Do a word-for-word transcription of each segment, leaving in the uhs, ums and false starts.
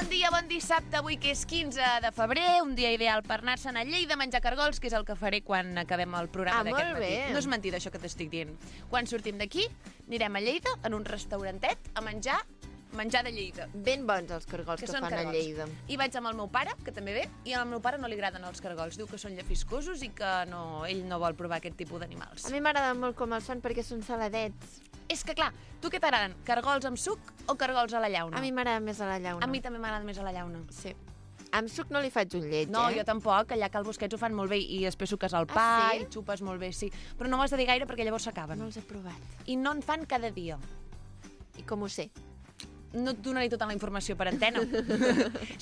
Bon dia, bon dissabte, avui que és quinze de febrer, un dia ideal per anar-se'n a Lleida a menjar cargols, que és el que faré quan acabem el programa ah, d'aquest matí. Bé. No és mentida això que t'estic dient. Quan sortim d'aquí, anirem a Lleida, en un restaurantet, a menjar menjar de Lleida. Ben bons els cargols que, que fan cargols. a Lleida. I vaig amb el meu pare, que també ve, i al meu pare no li agraden els cargols. Diu que són llefiscosos i que no, ell no vol provar aquest tipus d'animals. A mi m'agrada molt com els fan perquè són saladets. És que, clar, tu què t'agraden? Cargols amb suc o cargols a la llauna? A mi m'agrada més a la llauna. A mi també m'agrada més a la llauna. Sí. Amb suc no li faig un lleig, no, eh? No, jo tampoc, allà que al Busquets ho fan molt bé i després suques el pa ah, sí? i xupes molt bé, sí. Però no ho has de dir gaire perquè llavors s'acaben. No els he provat. I no en fan cada dia. I com ho sé? No et donaré tota la informació per antena.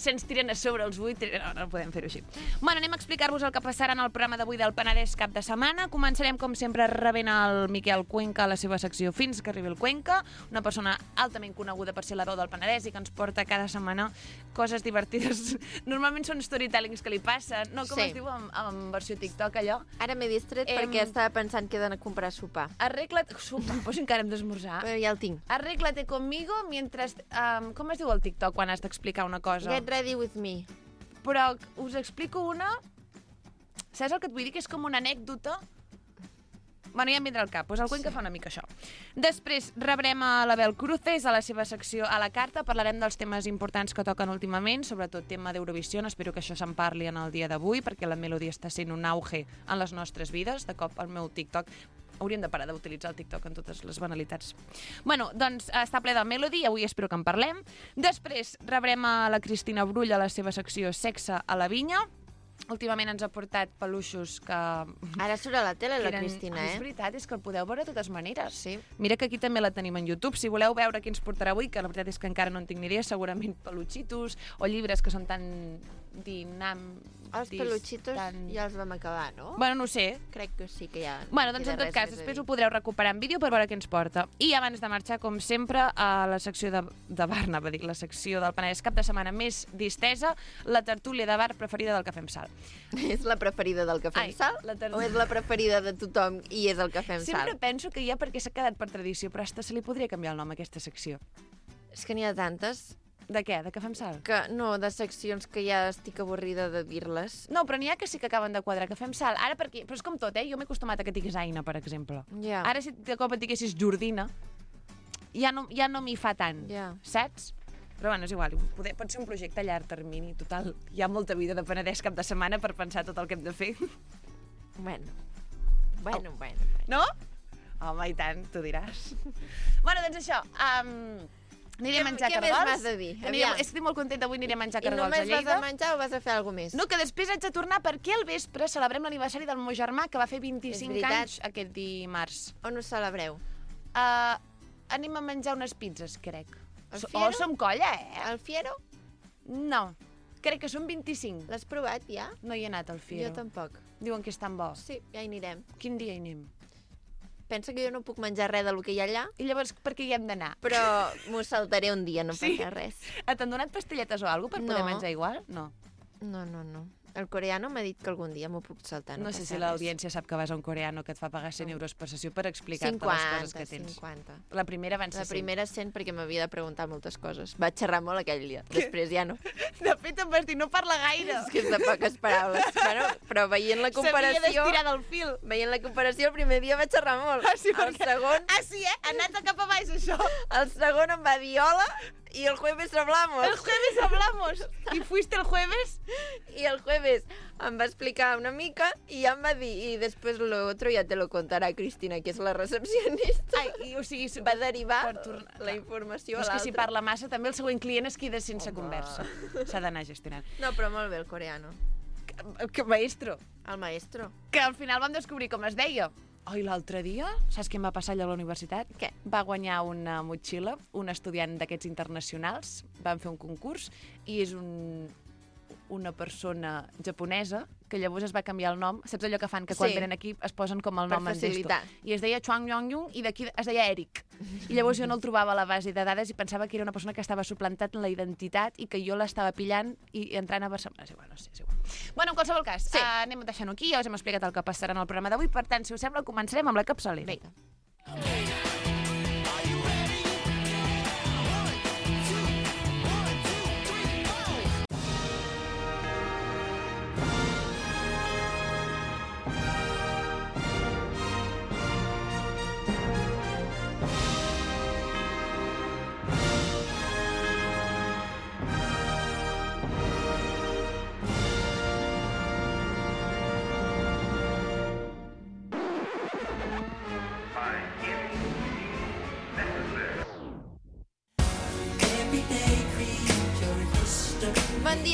Se'ns tiren a sobre els vuit. No, no podem fer-ho així. Bueno, anem a explicar-vos el que passarà en el programa d'avui del Penedès cap de setmana. Començarem, com sempre, rebent el Miquel Cuenca a la seva secció Fins que arribi el Cuenca, una persona altament coneguda per ser l'heroi del Penedès i que ens porta cada setmana coses divertides. Normalment són storytellings que li passen. No, com sí. es diu en, en versió TikTok, allò? Ara m'he distret em... perquè estava pensant que he d'anar a comprar sopar. Arregla't... Sopar, doncs encara hem d'esmorzar. Però ja el tinc. Arréglate conmigo mientras... Um, com es diu el TikTok quan has d'explicar una cosa? Get ready with me. Però us explico una... Saps el que et vull dir? Que és com una anècdota. Bueno, ja em vindrà al cap. Pues el Cuenca sí. fa una mica això. Després rebrem a l'Abel Cruces a la seva secció A la carta. Parlarem dels temes importants que toquen últimament, sobretot tema d'Eurovisió. Espero que això se'n parli en el dia d'avui, perquè la Melody està sent un auge en les nostres vides. De cop el meu TikTok... Hauríem de parar d'utilitzar el TikTok en totes les banalitats. Bueno, doncs està ple de Melody, avui espero que en parlem. Després rebrem a la Cristina Brull a la seva secció Sexe a la vinya. Últimament ens ha portat peluixos que... Ara surt a la tele, la eren... Cristina, eh? És veritat, és que el podeu veure de totes maneres. Sí. Mira que aquí també la tenim en YouTube. Si voleu veure qui ens portarà avui, que la veritat és que encara no en tinc ni idea, segurament peluchitos o llibres que són tan dinam... Els peluchitos tan... ja els vam acabar, no? Bueno, no ho sé. Crec que sí que ja... Bueno, doncs en tot cas, després ho podreu recuperar en vídeo per veure què ens porta. I abans de marxar, com sempre, a la secció de, de bar, anava a dir, la secció del Penedès cap de setmana més distesa, la tertúlia de bar preferida del Cafè amb Sal. És la preferida del Cafè amb Sal? Ter... O és la preferida de tothom i és el Cafè amb Sal? Sempre penso que ja perquè s'ha quedat per tradició, però hasta se li podria canviar el nom a aquesta secció. És que n'hi ha tantes. De què? De Cafè amb Sal? Que, no, de seccions que ja estic avorrida de dir-les. No, però n'hi ha que sí que acaben de quadrar. Cafè amb Sal. Ara perquè... Però és com tot, eh? Jo m'he acostumat a que diguis Aina, per exemple. Ja. Ara si de cop et diguessis Jordina, ja no, ja no m'hi fa tant. Ja. Saps? Però bueno, és igual. Poder, pot ser un projecte a llarg termini. Total, hi ha molta vida de Penedès cap de setmana per pensar tot el que hem de fer. Bueno. Bueno, oh. bueno, bueno. No? Home, i tant, tu diràs. Bueno, doncs això... Um... Aniré a menjar què cargols. Què més m'has de dir? Aniré, estic molt contenta, avui aniré a menjar cargols a Lleida. I només vas a menjar o vas a fer alguna cosa més? No, que després haig de tornar perquè al vespre celebrem l'aniversari del meu germà, que va fer vint-i-cinc anys aquest dimarts. On ho celebreu? Uh, anem a menjar unes pizzas, crec. Al Fiero? Oh, som colla, eh? Al Fiero? No, crec que són vint-i-cinc. L'has provat, ja? No hi he anat al Fiero. Jo tampoc. Diuen que és tan bo. Sí, ja hi anirem. Quin dia hi anem? Pensa que jo no puc menjar res del que hi ha allà. I llavors per què hi hem d'anar? Però m'ho saltaré un dia, no sí? passa res. T'han donat pastelletes o alguna cosa per no. poder menjar igual? No. No, no, no. El coreano m'ha dit que algun dia m'ho puc saltar. No, no sé si l'audiència sap que vas a un coreano que et fa pagar cent euros per sessió per explicar-te cinquanta, les coses que tens. cinquanta. La primera van ser La primera cent perquè m'havia de preguntar moltes coses. Vaig xerrar molt aquell dia. Què? Després ja no. De fet, em vas dir, no parla gaire. És que és de poques paraules. Bueno, però veient la comparació... S'havia d'estirar del fil. Veient la comparació, el primer dia vaig xerrar molt. Ah, sí, el perquè... segon... Ah, sí, eh? Ha anat cap a baix, això. El segon em va dir hola y el jueves hablamos. El jueves hablamos. I fuiste el jueves? I el jueves em va explicar una mica i ja em va dir, i després lo otro ja te lo contarà Cristina, que és la recepcionista. Ai, i, o sigui, va derivar tornar... la informació a a És l'altre. que si parla massa, també el següent client es queda sense Home. conversa. S'ha d'anar gestionant. No, però molt bé el coreano. Que, que maestro. El maestro. Que al final vam descobrir com es deia. Oh, i l'altre dia, saps què em va passar allà a la universitat? Què? Va guanyar una motxilla, un estudiant d'aquests internacionals, van fer un concurs, i és un, una persona japonesa que llavors es va canviar el nom. Saps allò que fan, que quan sí. venen aquí es posen com el per nom en facilitar. gesto. I es deia Chuang Yong-yung i d'aquí es deia Eric. I llavors jo no el trobava a la base de dades i pensava que era una persona que estava suplantat en la identitat i que jo l'estava pillant i entrant a Barcelona. És igual, no sé, és igual. Bueno, en qualsevol cas, sí. uh, anem deixant-ho aquí. Ja us hem explicat el que passarà en el programa d'avui. Per tant, si us sembla, començarem amb la capçalera. Vinga.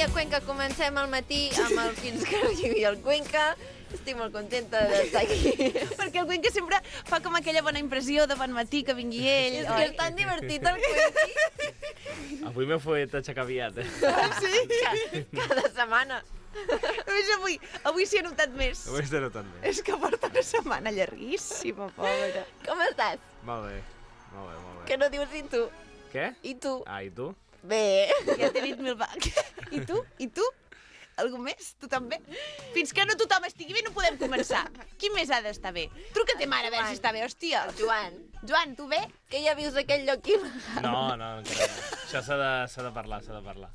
dia Cuenca, comencem al matí amb el Fins que arribi el Cuenca. Estic molt contenta d'estar aquí. Perquè el Cuenca sempre fa com aquella bona impressió de bon matí que vingui ell. És que és tan divertit el Cuenqui. Avui m'he fet aixecar aviat, eh? Ah, sí? Cada setmana. Només avui, avui s'hi ha notat més. Avui estaré notant bé. És que porta una setmana llarguíssima, pobra. Com estàs? Molt bé, molt bé, molt bé. Que no dius i tu? Què? I tu? Ah, i tu? Bé. Ja t'he dit mil vegades. I tu? I tu? Algú més? Tu també? Fins que no tothom estigui bé no podem començar. Qui més ha d'estar bé? Truca a ta mare a veure si està bé, hòstia. El Joan. Joan, tu bé? Que ja vius aquell lloc il·legal. No, no, encara no. Això s'ha de, s'ha de parlar, s'ha de parlar.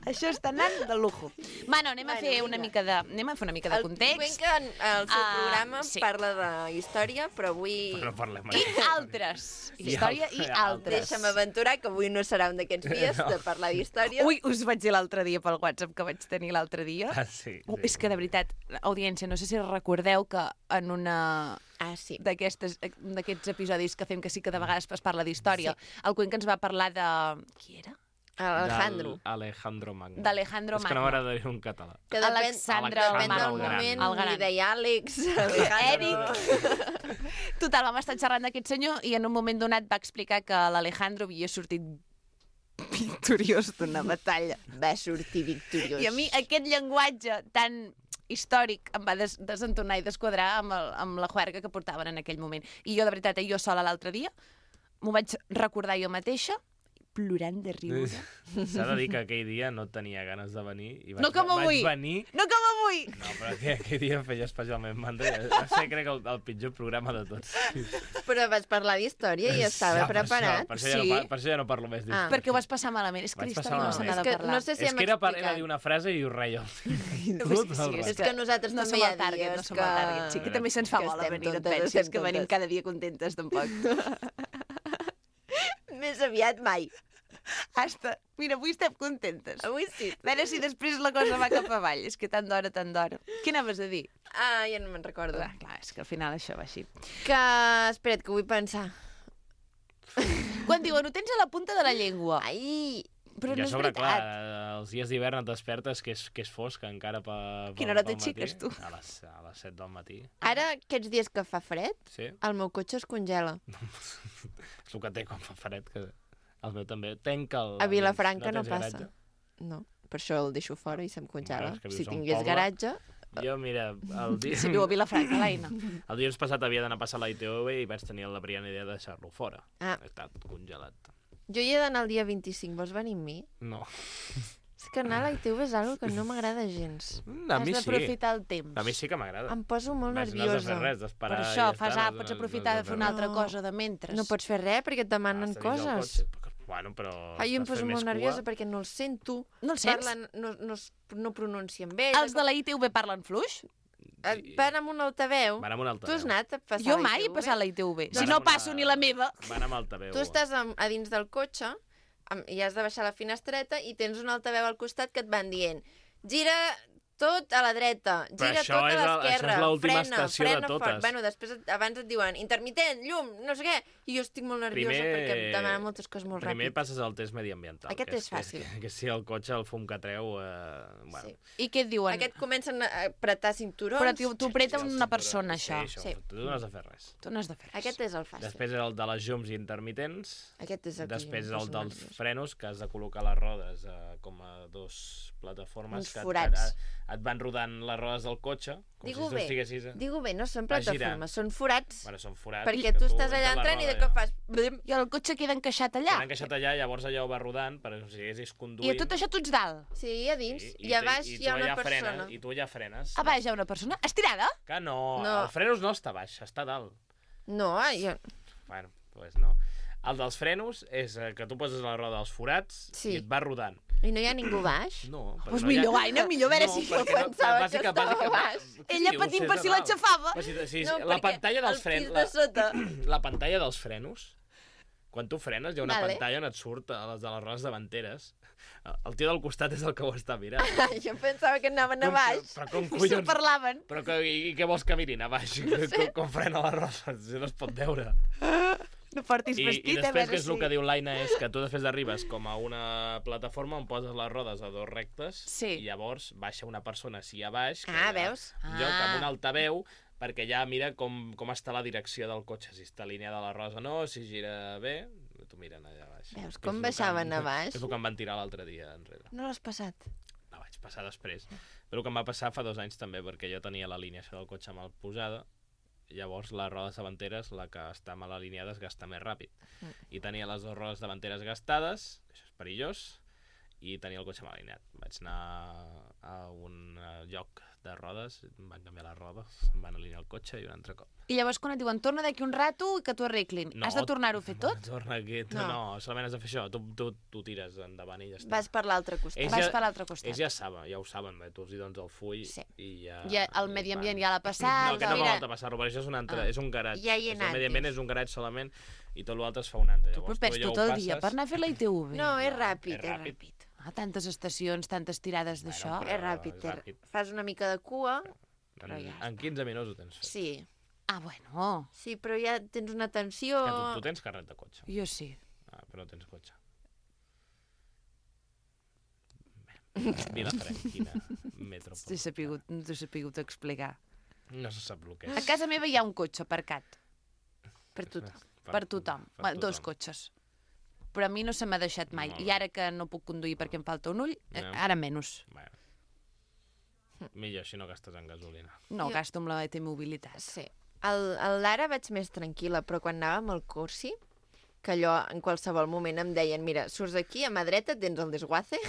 Això està anant de lujo. Bueno, anem a Bueno, fer vinga. una mica de... Anem a fer una mica de El context. Cuenca, el seu Ah, programa, sí. parla de història, però avui... Però no parlem I mai. altres. I Història i altres. altres. Deixa'm aventurar, que avui no serà un d'aquests dies No. de parlar d'història. Ui, us vaig dir l'altre dia pel WhatsApp que vaig tenir l'altre dia. Ah, sí, Uh, sí. és que, de veritat, audiència, no sé si recordeu que en una Ah, sí. d'aquestes d'aquests episodis que fem que sí que de vegades es parla d'història, el Cuenca ens va parlar de... Qui era? Alejandro. Del Alejandro Magno. D'Alejandro És que no Magno. m'agrada dir-ho en català. Que depèn, Alexandre el depèn del Magno. moment, El gran. li deia Àlex, Alejandro... Total, vam estar xerrant d'aquest senyor i en un moment donat va explicar que l'Alejandro havia sortit victoriós d'una batalla. Va sortir victoriós. I a mi aquest llenguatge tan històric em va des desentonar i desquadrar amb, el, amb la juerga que portaven en aquell moment. I jo, de veritat, eh, jo sola l'altre dia m'ho vaig recordar jo mateixa, plorant de riure. S'ha de dir que aquell dia no tenia ganes de venir i vaig, No com avui. vaig venir... No com avui! No, però aquell, aquell dia em feia especialment mandra. Va ser, crec, el, el pitjor programa de tots. Però vas parlar d'història i estava Ja, per preparat. Això, per, això ja Sí. no, par- per això ja no parlo més d'història. Ah. Perquè ho vas passar malament. És que Vaig l'història passar no se n'ha malament. de És que parlar. no sé si És hem que era, per, explicat. era dir una frase i ho reia. Sí, Tot sí, el és rato. És que nosaltres no també som hi el ha target, dies no som que... el target. Sí, que també se'ns fa que bola estem venir, no et tontes, pensis, estem que venim tontes. cada dia contentes, tampoc. Més aviat mai. Hasta, mira, avui estem contentes. Avui sí. A veure si després la cosa va cap avall. És que tant d'hora, tant d'hora. Què anaves a dir? Ah, ja no me'n recordo. Ah, clar, és que al final això va així. Que... Espera't, que vull pensar. Quan diuen, ho tens a la punta de la llengua. Ai! Però I no a és sobre, clar, veritat. els dies d'hivern et despertes que és, que és fosc encara pa, pa, Quina hora pel t'aixeques, matí. tu? A les, a les set del matí. Ara, aquests dies que fa fred, Sí? el meu cotxe es congela. És el que té quan fa fred, que el meu també. Tanca el... A Vilafranca no tens passa. garatge? No, per això el deixo fora i se'm congela. Clar, és que vius Si a un tingués poble. garatge... Jo, mira, el dia... Si viu a Vilafranca, l'Aina. El dilluns passat havia d'anar a passar la I T V i vaig tenir la brillant idea de deixar-lo fora. Ah. Ha estat congelat. Jo hi he d'anar el dia vint-i-cinc, vols venir amb mi? No. És que anar a la I T V és algo que no m'agrada gens. A Has mi sí. d'aprofitar el temps. A mi sí que m'agrada. Em poso molt Vaig, no has de nerviosa. fer res, Per d'esperar això, i ja fas, està, ah, no- pots no- aprofitar no de fer has una fer altra No. cosa de mentre. No pots fer res perquè et demanen res. Has de dir al coses. cotxe, però- Bueno, però... Ai, em estàs poso fent molt més nerviosa cua. perquè no els sento. No el sents? Parlen, no, no, es- no pronuncien bé. Els de la I T V parlen fluix? Eh, Van amb un altaveu. Van amb un Tu altaveu. has anat a passar Jo la mai he I T V? passat la I T V. Si Van no amb una- passo ni la meva... Van amb altaveu. Tu estàs a, a dins del cotxe amb, i has de baixar la finestreta i tens un altaveu al costat que et van dient gira tot a la dreta, Però gira això tot a és el- l'esquerra, això és l'última frena, estació de frena totes. fort. Bueno, després et- abans et diuen intermitent, llum, no sé què, i jo estic molt nerviosa Primer- perquè em demanen moltes coses molt Primer ràpid. passes el test mediambiental. Aquest que és fàcil. Que, que si el cotxe, el fum que treu... Eh, bueno. Sí. I què et diuen? Aquest comencen a apretar cinturons. Però t'ho t'ho apreta Sí, el una cinturó. persona, Sí, això. això. Sí. Tu no has de fer res. Tu no has de fer res. Aquest és el fàcil. Després és el de les llums intermitents. Aquest és el que Després jo em el poso dels nerviosa. frenos, que has de col·locar les rodes eh, com a dos plataformes Uns que et, forats. et, et van rodant les rodes del cotxe, com Digo si tu bé, estiguessis... A... digo bé, no són Va girant. plataformes, són forats. Bueno, són forats. Perquè que tu estàs allà entres la entrant i de roda cop allà. fas... Blim. I el cotxe queda encaixat allà. Queda encaixat allà, llavors allò va rodant, per si haguessis I conduint... a tot això tu ets dalt. Sí, a dins. Sí, I, a tu- baix i hi ha tu una allà persona. Frenes, I tu allà frenes. A baix hi ha una persona estirada. Que no, No. el frenos no està baix, està a dalt. No, jo... Bueno, doncs pues no. El dels frenos és eh, que tu poses la roda als forats Sí. i et va rodant. I no hi ha ningú baix? No, perquè Doncs no millor, hi ha... Aina, millor a veure no, si... perquè pensava que bàsica- estava bàsica- baix. Què Ella dius? patint És per a si dalt. l'aixafava. Però si, si, No, la perquè pantalla dels el frenos... pis de sota. La, la pantalla dels frenos, quan tu frenes, hi ha una Vale. pantalla on et surt a les de les rodes davanteres. El tio del costat és el que ho està mirant. Jo pensava que anaven a Com- baix. Però com I se'n collons... parlaven. Però que, i, i què vols que mirin a baix? No com, com frena la roda? Si no es pot veure. No portis I, vestit, I a després, veure que és el si... que diu l'Aina, és que tu després arribes com a una plataforma on poses les rodes a dos rectes Sí. i llavors baixa una persona així a baix, que Ah, ja- veus? jo Ah. amb un altaveu, perquè ja mira com, com està la direcció del cotxe, si està alineada la rosa o no, si gira bé, t'ho miren allà baix. Veus Que com és el que baixaven em- a baix? És el que em van tirar l'altre dia enrere. No l'has passat? La vaig passar després. Però el que em va passar fa dos anys també, perquè jo tenia l'alineació del cotxe mal posada, llavors les rodes davanteres, la que està mal alineada, es gasta més ràpid. Mm. I tenia les dues rodes davanteres gastades, això és perillós, i tenia el cotxe mal alineat. Vaig anar a un eh, lloc de rodes, em van canviar les rodes, em van alinear el cotxe i un altre cop. I llavors quan et diuen torna d'aquí un rato i que t'ho arreglin, has de tornar-ho a fer tot? Torna aquí, no, No. no, solament has de fer això, tu, tu, tu tires endavant i ja està. Vas per l'altre costat. Ells Vas ja- per l'altre costat. Ells ja saben, ja ho saben, bé, tu els hi dones el full Sí. i ja... Ja, el i medi van. ambient ja l'ha passat. No, que no mira. m'ha falta passar-ho, perquè això és un, altre, Ah. és un garatge. Ja hi he És anat, el medi ambient dius. és un garatge solament i tot l'altre es fa un altre. Tu però Llavors, perds ja ho tot el dia passes. per anar a fer la I T V. No, és No, ràpid, és és ràpid. ràpid. Ah, tantes estacions, tantes tirades d'això. però- És ràpid, és és ràpid. Fas una mica de cua, En, però ja està. en quinze minuts ho tens fet. sí. Ah, bueno, Sí, però ja tens una tensió... Que tu, tu tens carnet de cotxe, jo sí. ah, però no tens cotxe. Bé, Vilafranquina, metro. T'he sapigut, no t'he sapigut explicar. No se sap el que A és. casa meva hi ha un cotxe aparcat. Per tothom. Per tothom. Per Bueno, dos tothom. cotxes. Però a mi no se m'ha deixat mai. Molt I bé. ara que no puc conduir perquè em falta un ull, eh, Ja. ara menys. Bueno. Millor si no gastes en gasolina. No, Jo- gasto amb la T-mobilitat. Sí. El, el Lara vaig més tranquil·la, però quan anàvem al Corsi, que allò en qualsevol moment em deien mira, surts d'aquí, a mà dreta et tens el desguace.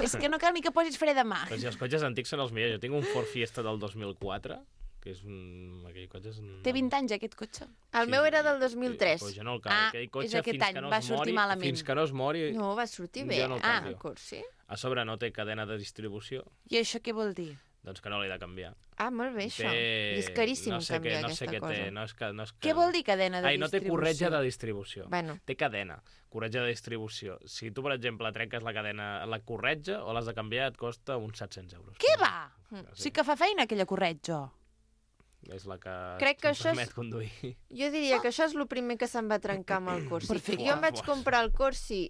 És que no cal ni que posis fre de mà. Però si els cotxes antics són els millors. Jo tinc un Ford Fiesta del dos mil quatre, que és un... Aquell cotxe és un... Té vint anys, aquest cotxe. El Sí, meu era del dos mil tres. Però jo no el Ah, canvio. Aquell és cotxe, aquest fins any, que no va es sortir mori, malament. Fins que no es mori... No, va sortir bé, Jo no el eh, canvio. el Corsi. A sobre no té cadena de distribució, I això què vol dir? doncs que no l'he de canviar. Ah, molt bé, això. Té- I és caríssim no sé canviar què, no aquesta sé què cosa. té, no és que, no és que... Què vol dir cadena de Ai, no té distribució? corretja de distribució. Bueno, Té cadena, corretja de distribució. Si tu, per exemple, trenques la cadena, la corretja o l'has de canviar, et costa uns set-cents euros. Què va? Sí. Sí que fa feina aquella corretja. És la que Crec que em això és- permet conduir. jo diria que això és el primer que se'm va trencar amb el Corsi. Perfecte. Jo em vaig Buah. comprar el Corsi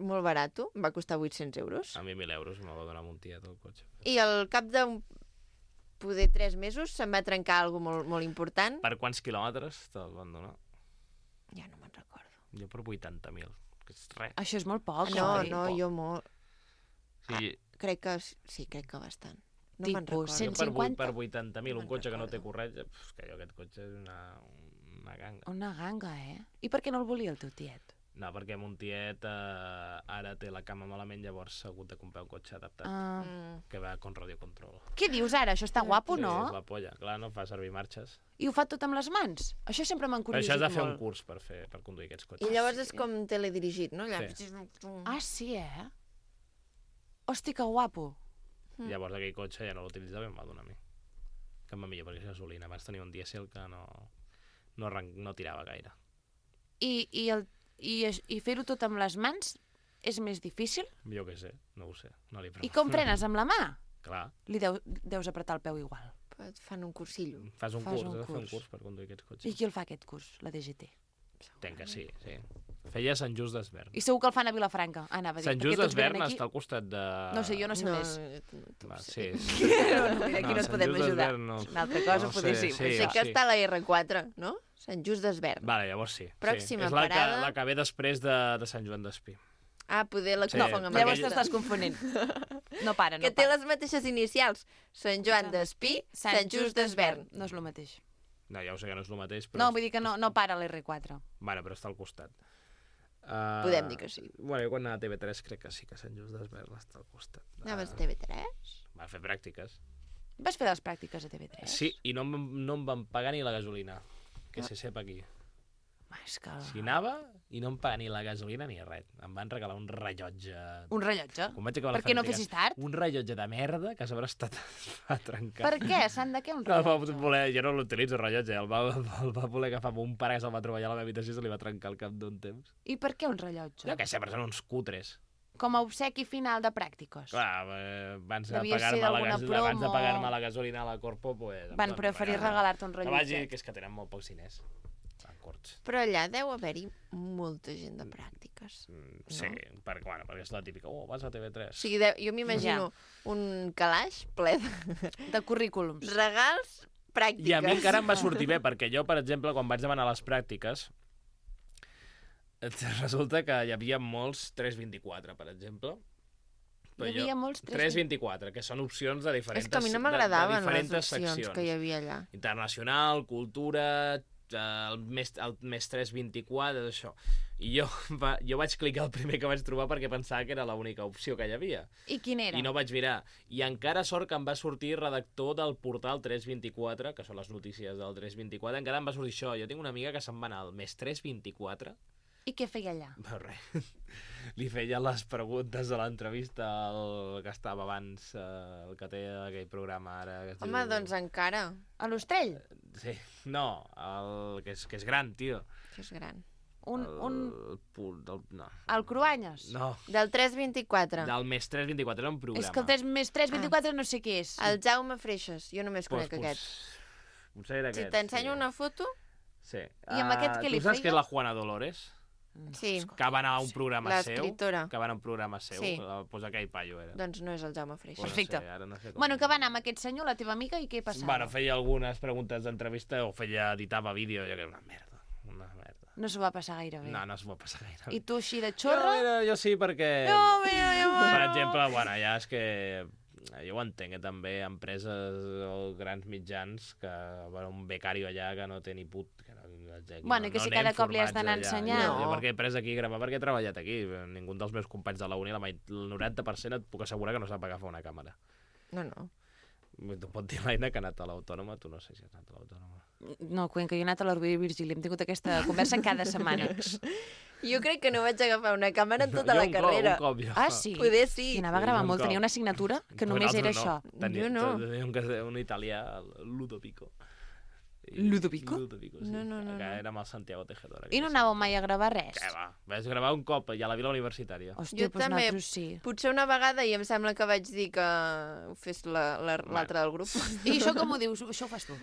molt barat, em va costar vuit-cents euros. A mi mil euros me va donar un tiet el cotxe. I al cap d'un poder tres mesos se'm va trencar alguna molt, molt important. Per quants quilòmetres te'l van donar? Ja no me'n recordo. Jo per vuitanta mil, que és res. Això és molt poc, No, oi? no, jo molt. Sí, Crec que sí, crec que bastant. No me'n Tipus, recordo. cent jo per, vuit- cinquanta? per vuitanta mil, No un me'n cotxe que no té recordo. corretja, pf, que jo aquest cotxe és una, una ganga. Una ganga, eh? I per què no el volia el teu tiet? No, perquè mon tiet eh, ara té la cama malament, llavors s'ha hagut de comprar un cotxe adaptat Ah. Mm. que va con radiocontrol. Què dius ara? Això està guapo, Sí, no? és la polla. Clar, no fa servir marxes. I ho fa tot amb les mans? Això sempre m'han Per això curiositat has de fer un molt. curs per, fer, per conduir aquests I cotxes. llavors és com teledirigit, no? Allà... Sí. Ah, sí, eh? Hosti, que guapo. Mm. Llavors aquell cotxe ja no l'utilitzava i em va donar a mi. Que em va millor, perquè és gasolina. Abans tenia un dièsel que no, no, arran... no tirava gaire. I, i, el, i, es- i fer-ho tot amb les mans és més difícil? Jo què sé, no ho sé. No li I pregunto. com frenes, amb la mà? Clar, Li deu, deus apretar el peu igual. Et fan un cursillo. fas un Fas curs, un has de fer un curs. curs per conduir aquests I cotxes. qui el fa, aquest curs? La D G T. Entenc que sí, sí. Feia Sant Just d'Esvern. I segur que el fan a Vilafranca. Ah, anava a dir, Sant perquè Just tots venen d'Esvern aquí... està al costat de... No sé, jo no sé no, més. no, Va, no, sí, sí. sí. No, no, aquí no et Sant podem Just ajudar. d'Esvern no. Una altra cosa, No potser sé, sí. sí. sé que està a la R quatre, no? Sant Just d'Esvern. Vale, llavors sí. Pròxima sí. És la parada. Que, la que ve després de, de Sant Joan d'Espí. Ah, poder la Sí, confong amb Llavors aquesta. t'estàs confonent. No para, no Que té para. les mateixes inicials. Sant Joan d'Espí, Sant Just d'Esvern. No és el mateix. No, ja ho sé que no és el mateix, però... No, vull dir que no, no para l'R quatre. Bueno, però està al costat. Uh, Podem dir que sí. Bueno, jo quan anava a T V tres crec que sí que Sant Just d'Esvern està al costat. Anaves a T V tres? Va fer pràctiques. Vas fer les pràctiques a T V tres? Sí, i no, em- no em van pagar ni la gasolina. Que se sap aquí. Ah, és que... Si anava i no em paga ni la gasolina ni res. Em van regalar un rellotge... Un rellotge? Quan vaig acabar la Per què no pràctica, fessis tard? Un rellotge de merda que a sobre estat va trencar. Per què? Sant de què un No, el va rellotge? voler, jo no l'utilitzo, el rellotge. El va, el va voler agafar amb un pare que se'l va trobar allà a la meva habitació i se li va trencar al cap d'un temps. I per què un rellotge? Jo què sé, però són uns cutres. Com a obsequi final de pràctiques. Clar, eh, abans de Devia ser pagar-me la, d'alguna gas, abans de promo. pagar-me la gasolina a la Corpo, pues, em Van preferir regalar. regalar-te un Que vagi, rellotge. que és que tenen molt pocs diners. Van curts. Però allà deu haver-hi molta gent de pràctiques. Mm, sí, No? perquè, bueno, perquè és la típica, oh, vas a T V tres. O sigui, deu, jo m'imagino un calaix ple de De currículums. regals pràctiques. I a mi encara em va sortir bé, perquè jo, per exemple, quan vaig demanar les pràctiques, resulta que hi havia molts tres vint-i-quatre, per exemple. Però Hi havia molts tres... tres vint-i-quatre, que són opcions de diferents, És que a mi no de- m'agradaven de les diferents opcions seccions. que hi havia allà. Internacional, cultura, eh, el més, el més tres vint-i-quatre, això. I jo, va, jo vaig clicar el primer que vaig trobar perquè pensava que era l'única opció que hi havia. I quin era? I no vaig mirar. I encara sort que em va sortir redactor del portal tres vint-i-quatre, que són les notícies del tres vint-i-quatre, encara em va sortir això. Jo tinc una amiga que se'n va anar al més tres vint-i-quatre. I què feia allà? Però res, li feia les preguntes de l'entrevista al que estava abans, eh, el que té aquell programa ara. Que es Home, diu... doncs encara. A l'Ostrell? Sí, no, el que és, que és gran, tio. Això és gran. Un, el, un... El, punt del, no. El Cruanyes? No, Del tres vint-i-quatre. del més tres vint-i-quatre era un programa. És que el tres més tres vint-i-quatre no sé què és. El Jaume Freixas. Jo només Pues, conec aquest. Potser era Si aquest. t'ensenyo sí. una foto... Sí. I amb aquest què li Tu saps feia? que és la Juana Dolores? Sí, Que va anar a un programa seu? l'escriptora. Que va anar a un programa seu? Sí. Eh, Pues aquell paio era. Doncs no és el Jaume Freixas. Pues Perfecte. No sé, ara no sé com... Bueno, que va anar amb aquest senyor, la teva amiga, i què passava? Bueno, feia algunes preguntes d'entrevista o feia, editava vídeo, jo que una merda, una merda. No s'ho va passar gaire bé. No, no s'ho va passar gaire. I tu així de Jo, xorra? mira, jo sí, perquè... No, mira, jo, Per exemple, bueno, ja és que jo ho entenc, eh, també, empreses o grans mitjans que bueno, un becari allà que no té ni put... Que no, Bueno, i que si anem cada cop li has formats d'anar allà. ensenyant. Jo, No. jo perquè he pres aquí a gravar, perquè he treballat aquí. Ningú dels meus companys de la uni, la meit- el noranta per cent et puc assegurar que no sap agafar una càmera. No, no. Tu pot dir l'Aina que ha anat a l'Autònoma, tu no sé si has anat a l'Autònoma. No, Cuenca, jo he anat a l'Orgull i Virgili. Hem tingut aquesta conversa cada setmana. Jo crec que no vaig agafar una càmera en tota Jo la un carrera. Cop, un cop, jo. Ah, sí? Poder sí. I anava a Sí, gravar un molt. cop. Tenia una assignatura que Però només era nosaltres això. no. Tenia, Jo no. Tenia un, cas- un italià, el Ludovico. I- Ludovico? Ludovico, sí. No, no, no, Que no. era amb el Santiago Tejedora. I no anàveu mai a gravar res? Què va? Vaig gravar un cop i a la Vila Universitària. Hòstia, Jo doncs també. nosaltres sí. Potser una vegada i em sembla que vaig dir que ho fes la- la- l'altre del grup. I això com ho dius? Això ho fas tu?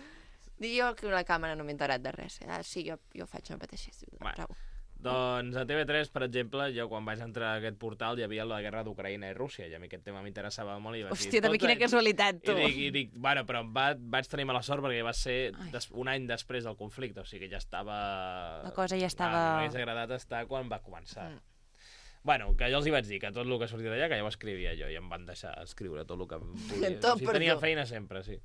Dic jo que la càmera no m'he enterat de res. Ah, sí, jo, jo faig el mateix. Bueno. Prou. Doncs a T V tres, per exemple, jo quan vaig entrar a aquest portal hi havia la guerra d'Ucraïna i Rússia, i a mi aquest tema m'interessava molt i vaig dir... Hòstia, també "Escolta", quina casualitat, tu. I dic, i dic bueno, però em va, vaig tenir mala sort perquè va ser Ai. des, un any després del conflicte, o sigui que ja estava... La cosa ja estava- Ah, m'hagués agradat estar quan va començar. Mm. Bueno, que jo els hi vaig dir que tot el que sortia d'allà, que ja ho escrivia jo, i em van deixar escriure tot el que em podia. Tot o sigui, per tenia tu. feina sempre, sí.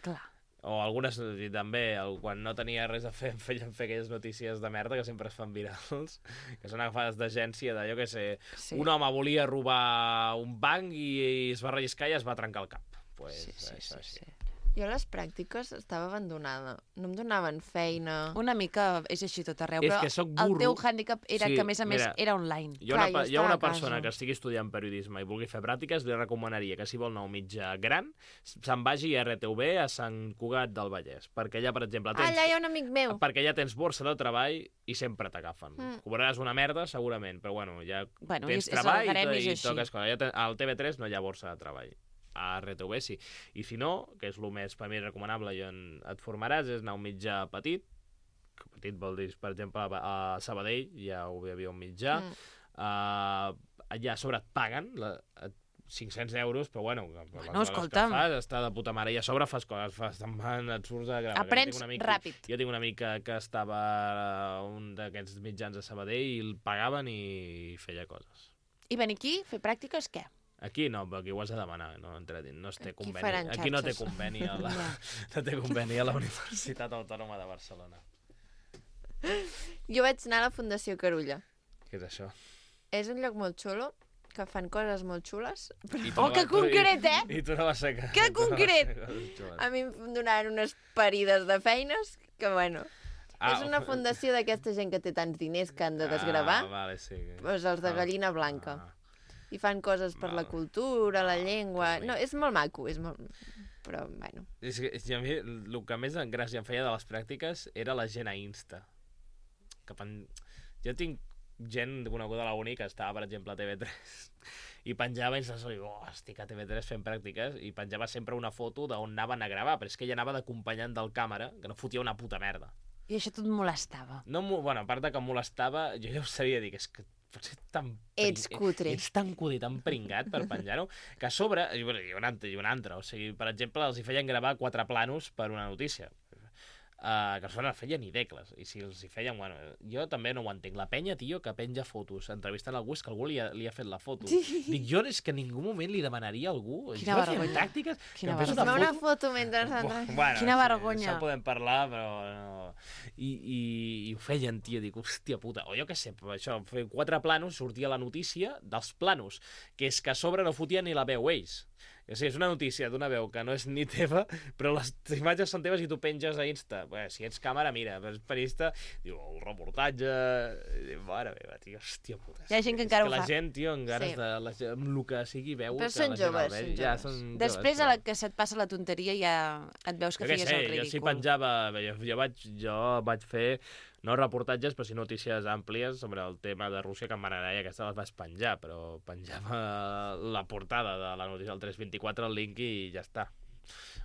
Clar. O algunes, i també, el, quan no tenia res a fer, em feien fer aquelles notícies de merda que sempre es fan virals, que són agafades d'agència de, jo què sé, Sí. un home volia robar un banc i, i es va relliscar i es va trencar el cap. Pues, Sí, sí, això, sí, així. sí. Jo a les pràctiques estava abandonada. No em donaven feina. Una mica és així tot arreu, És però que soc el burro. teu hàndicap era Sí, que, a més a més, mira, era online. Jo, Clar, una, jo jo una estava a persona casa. que estigui estudiant periodisme i vulgui fer pràctiques, li recomanaria que si vol anar a un mitjà gran, se'n vagi a R T V a Sant Cugat del Vallès, perquè allà, per exemple, Ah, tens... allà hi ha un amic meu. Perquè ja tens borsa de treball i sempre t'agafen. Mm. Mm. Cobraràs una merda, segurament, però bueno, ja Bueno, tens és- és el treball gremi, i, és i així. toques coses. Ja te- al T V tres no hi ha borsa de treball. A R T V sí. I si no, que és el més per mi recomanable i on et formaràs, és anar a un mitjà petit, que petit vol dir, per exemple, a a Sabadell ja hi havia un mitjà, Mm. uh, allà a sobre et paguen la, et- cinc-cents euros, però bueno, per les Bueno, hores escolta'm. que fas, està de puta mare, i a sobre fas coses, fas, te'n van, et surts a gravar. Aprens Jo tinc un amic- ràpid. Jo tinc un amic que, que estava a un d'aquests mitjans a Sabadell i el pagaven i feia coses. I venir aquí, fer pràctiques, què? Aquí no, però aquí ho has de demanar, no, entra dins, no es té Aquí conveni. faran Aquí no té xarxes. conveni a la, no té conveni a la Universitat Autònoma de Barcelona. Jo vaig anar a la Fundació Carulla. Què és això? És un lloc molt xulo, que fan coses molt xules. I Oh, que vas- tu- concret, eh? I, i tu no vas ser... Que tu no vas concret! ser coses xules. A mi em donaven unes parides de feines que, bueno... Ah, és una fundació d'aquesta gent que té tants diners que han de desgravar. Ah, vale, sí. Doncs els de Ah, gallina blanca. ah. I fan coses per la Val. cultura, la Ah, llengua... que No, bonic. és molt maco, és molt... Però, bueno... És que, és que a mi el que més gràcia em feia de les pràctiques era la gent a Insta. Que pen... Jo tinc gent coneguda a la uni que estava, per exemple, a T V tres i penjava i ens diu, oh, estic a T V tres fent pràctiques, i penjava sempre una foto d'on anaven a gravar, però és que ella anava d'acompanyant del càmera, que no fotia una puta merda. I això tot molestava. No, mo- bueno, a part de que em molestava, jo ja ho sabia dir, que és que pots ser tan... pring- Ets cutre. Ets tan cutre i tan pringat per penjar-ho, que a sobre, i, bueno, i, un altre, i un altre, o sigui, per exemple, els hi feien gravar quatre planos per una notícia. Uh, que els no feien ni decles, i si els hi feien, bueno, jo també no ho entenc. La penya, tio, que penja fotos, entrevistant algú, és que algú li ha, li ha fet la foto. Dic, jo és que en ningú moment li demanaria a algú. Quina jo feia vergonya. tàctiques, Quina que em fes Fes-me una una foto. foto mentre ens Bu- entra. Bueno, Quina sí, vergonya. Això podem parlar, però no... I, i, i ho feien, tio, dic, hòstia puta. O jo què sé, això, fer quatre planos, sortia la notícia dels planos, que és que a sobre no fotien ni la veu ells. O sigui, és una notícia d'una veu que no és ni teva, però les imatges són teves i tu penges a Insta. Bé, si ets càmera, mira, és periodista, diu, el reportatge... Diu, mare meva, tio, hòstia puta. Hi ha gent que encara és ho que fa. la gent, tio, amb ganes Sí. de... La, amb el que sigui, veu... Però que són la gent el joves, vegi. són Ja, joves. són Després, joves, a la que se't passa la tonteria, ja et veus que jo què feies sé, el jo ridícul. si penjava... Jo, jo, vaig, jo vaig fer, no reportatges, però sí notícies àmplies sobre el tema de Rússia, que em van agradar i aquesta les vaig penjar, però penjava la portada de la notícia del tres vint-i-quatre, el link i ja està.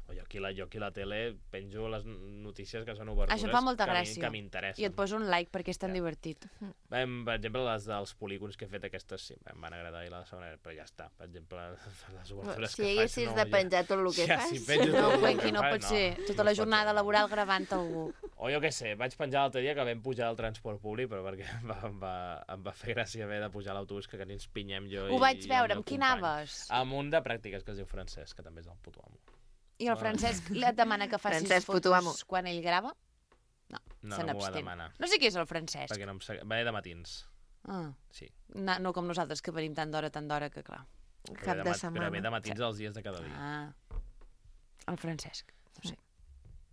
O jo aquí, la, jo aquí a la tele penjo les notícies que són obertures Això fa molta que a mi- gràcia. que m'interessen. I et poso un like perquè és tan Ja. divertit. Vam, per exemple, les dels polígons que he fet, aquestes sí, em van agradar i la segona, però ja està. Per exemple, les obertures Si que faig... haguessis no, de penjar tot el que ja, fas. Si penjo No, tot el Cuenqui, que no faig, pot ser. Tota no la es pot jornada fer. laboral gravant algú. O jo què sé, vaig penjar l'altre dia que vam pujar al transport públic, però perquè em va, em va, em va fer gràcia haver de pujar a l'autobús, que ens pinyem jo Ho i, vaig i el veure, meu amb qui company. anaves? Amb un de pràctiques que es diu Francesc, que també és el puto amo. I el Francesc et demana que facis Francesc, puto amo. fotos quan ell grava? No, No, se no m'ho va n'abstén. demanar, No sé qui és el Francesc. perquè no em seg... va de matins, Ah, sí. no, no com nosaltres, que venim tant d'hora, tant d'hora, que clar. Un Però cap ve de mat- Però ve de setmana. matins els dies de cada dia. Ah, el Francesc. No sé.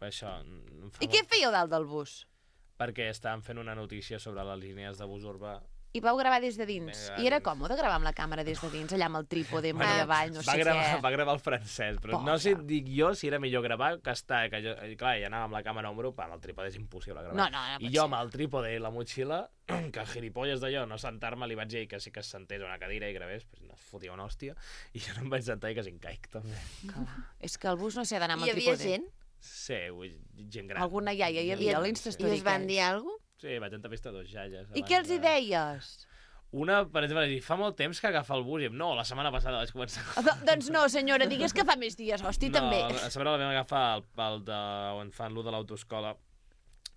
Això em fa I què molt- fèieu dalt del bus? Perquè estàvem fent una notícia sobre les línies de bus urbà. I vau gravar des de dins. Vinga, I era dins. còmode gravar amb la càmera des de dins, allà amb el trípode, Bueno, bueno, avall, no va sé gravar, què. va gravar el francès, però Pobre. no sé, dic jo, si era millor gravar que estar... Que jo, i clar, ja anava amb la càmera a ombro, amb el trípode és impossible gravar. No, no, no I pot jo ser. amb el trípode i la motxilla, que gilipolles d'allò, no sentar-me, li vaig dir que sí que es sentés a una cadira i gravés, pues no fotia una hòstia, i jo no em vaig sentar i quasi em caic, també. Clar. És que el bus no s'ha d'anar amb Hi el havia trípode. gent? Sí, vull dir, gent gran. Alguna iaia hi havia I- a I l'Instastory. us van dir alguna cosa? Sí, vaig entrevistar dos iaies. I abans què els hi de- deies? Una, per exemple, va dir, fa molt temps que agafa el bus, i em, no, la setmana passada vaig començar a... Do, doncs no, senyora, digues que fa més dies, hosti, no, també. a sobre la vam agafar el, el de, on fan l'u de l'autoescola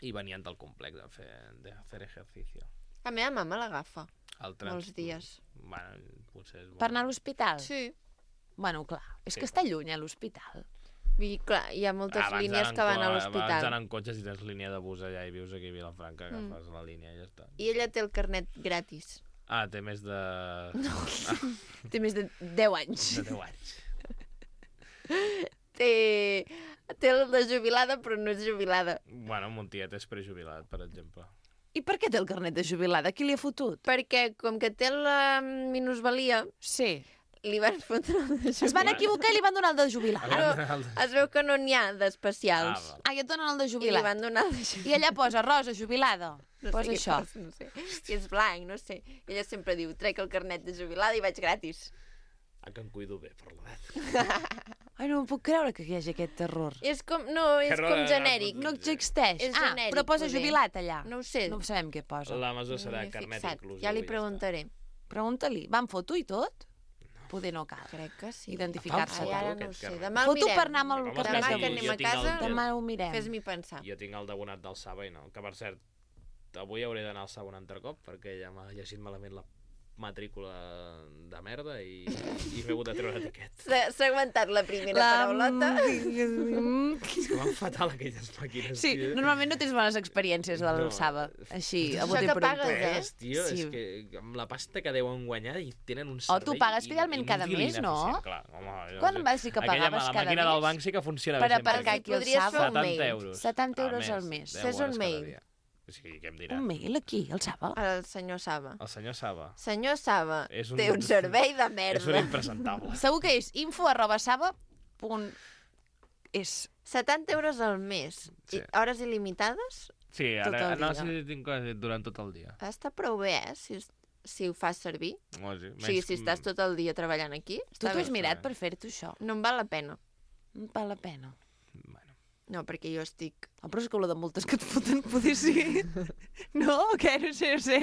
i venien del complex de fer, de fer ejercicio. La meva mama l'agafa. El trans... Molts dies. Bueno, potser és... Per anar a l'hospital? Sí. Bueno, clar, és Sí. que està lluny, a l'hospital. Vull dir, clar, hi ha moltes Abans línies anant que van co- a Abans l'hospital. anar en cotxe, si tens línia de bus allà i vius aquí a Vilafranca, agafes la línia i ja està. I ella té el carnet gratis. Ah, té més de... No. Té més de deu anys. De deu anys. Té... té el de jubilada, però no és jubilada. Bueno, mon tiet és prejubilat, per exemple. I per què té el carnet de jubilada? Qui li ha fotut? Perquè, com que té la minusvalia, Sí. li van fotre el de Es van jubilada. equivocar i li van donar el de jubilat. Ah, Es veu que no n'hi ha d'especials. Ah, val. Ah, i et donen el de I li jubilat. van donar el de jubilada. I allà posa rosa, jubilada. No Posa sé què això. posa, no sé. I és blanc, no sé. I ella sempre diu, trec el carnet de jubilada i vaig gratis. Ah, que em cuido bé per l'edat. Ai, no em puc creure que hi hagi aquest terror. És com, no, és Que no- com no- genèric. No existeix. És ah, genèric, però posa poder. jubilat allà. No ho sé. No sabem què posa. La mesura No serà m'hi he carnet fixat. inclusiu. Ja li i està. preguntaré. Pregunta-li. Van foto i tot? Poder no cal. Crec que sí. Identificar-se. Ai, ara no ho aquest sé. carnet. Demà el Foto mirem. per anar amb el Com carnet Demà sí, de que bus. anem jo a tinc el- casa, Demà ho mirem. fes-m'hi pensar. Jo tinc el d'abonat del Saba i no. Que, per cert, avui hauré d'anar al Saba un altre cop perquè ja m'ha llegit malament la matrícula de merda i, i m'he hagut de treure l'etiquet. S'ha s'ha aguantat la primera paraulota. És que van fatal aquelles màquines, Sí, tio. normalment no tens bones experiències a No. l'Alçava. Així, a Això bote que pronto. pagues, eh? Res, tio, Sí. és que amb la pasta que deuen guanyar i tenen un Oh, servei... tu pagues in- fidelment cada inútil i mes, no? ineficient, Clar, home, jo Quan no sé. vas dir que Aquella, pagaves la cada màquina mes? del banc sí que funciona Per bé sempre. aparcar aquí al Podries fer Saba. un mail. setanta euros. setanta euros al mes. deu Fes un hores cada mail. dia. O sigui, què em dirà? Un mail aquí, al Saba. El senyor Saba. El senyor Saba. Senyor Saba, És un- té un servei de És un merda. impresentable. Segur que és info arroba saba punt es. setanta euros al mes. Sí. I hores il·limitades? Sí, Tot ara, el no dia. sé si tinc coses durant tot el dia. Està prou bé, eh? Si, si ho fas servir. O sigui, O sigui, si estàs tot el dia treballant aquí, Tu està t'ho has bé. mirat per fer-te això? No em val la pena. No val la pena. Bueno, No, perquè jo estic... Oh, però és que lo de multes que et foten poder ser... No? Què? No sé, no sé.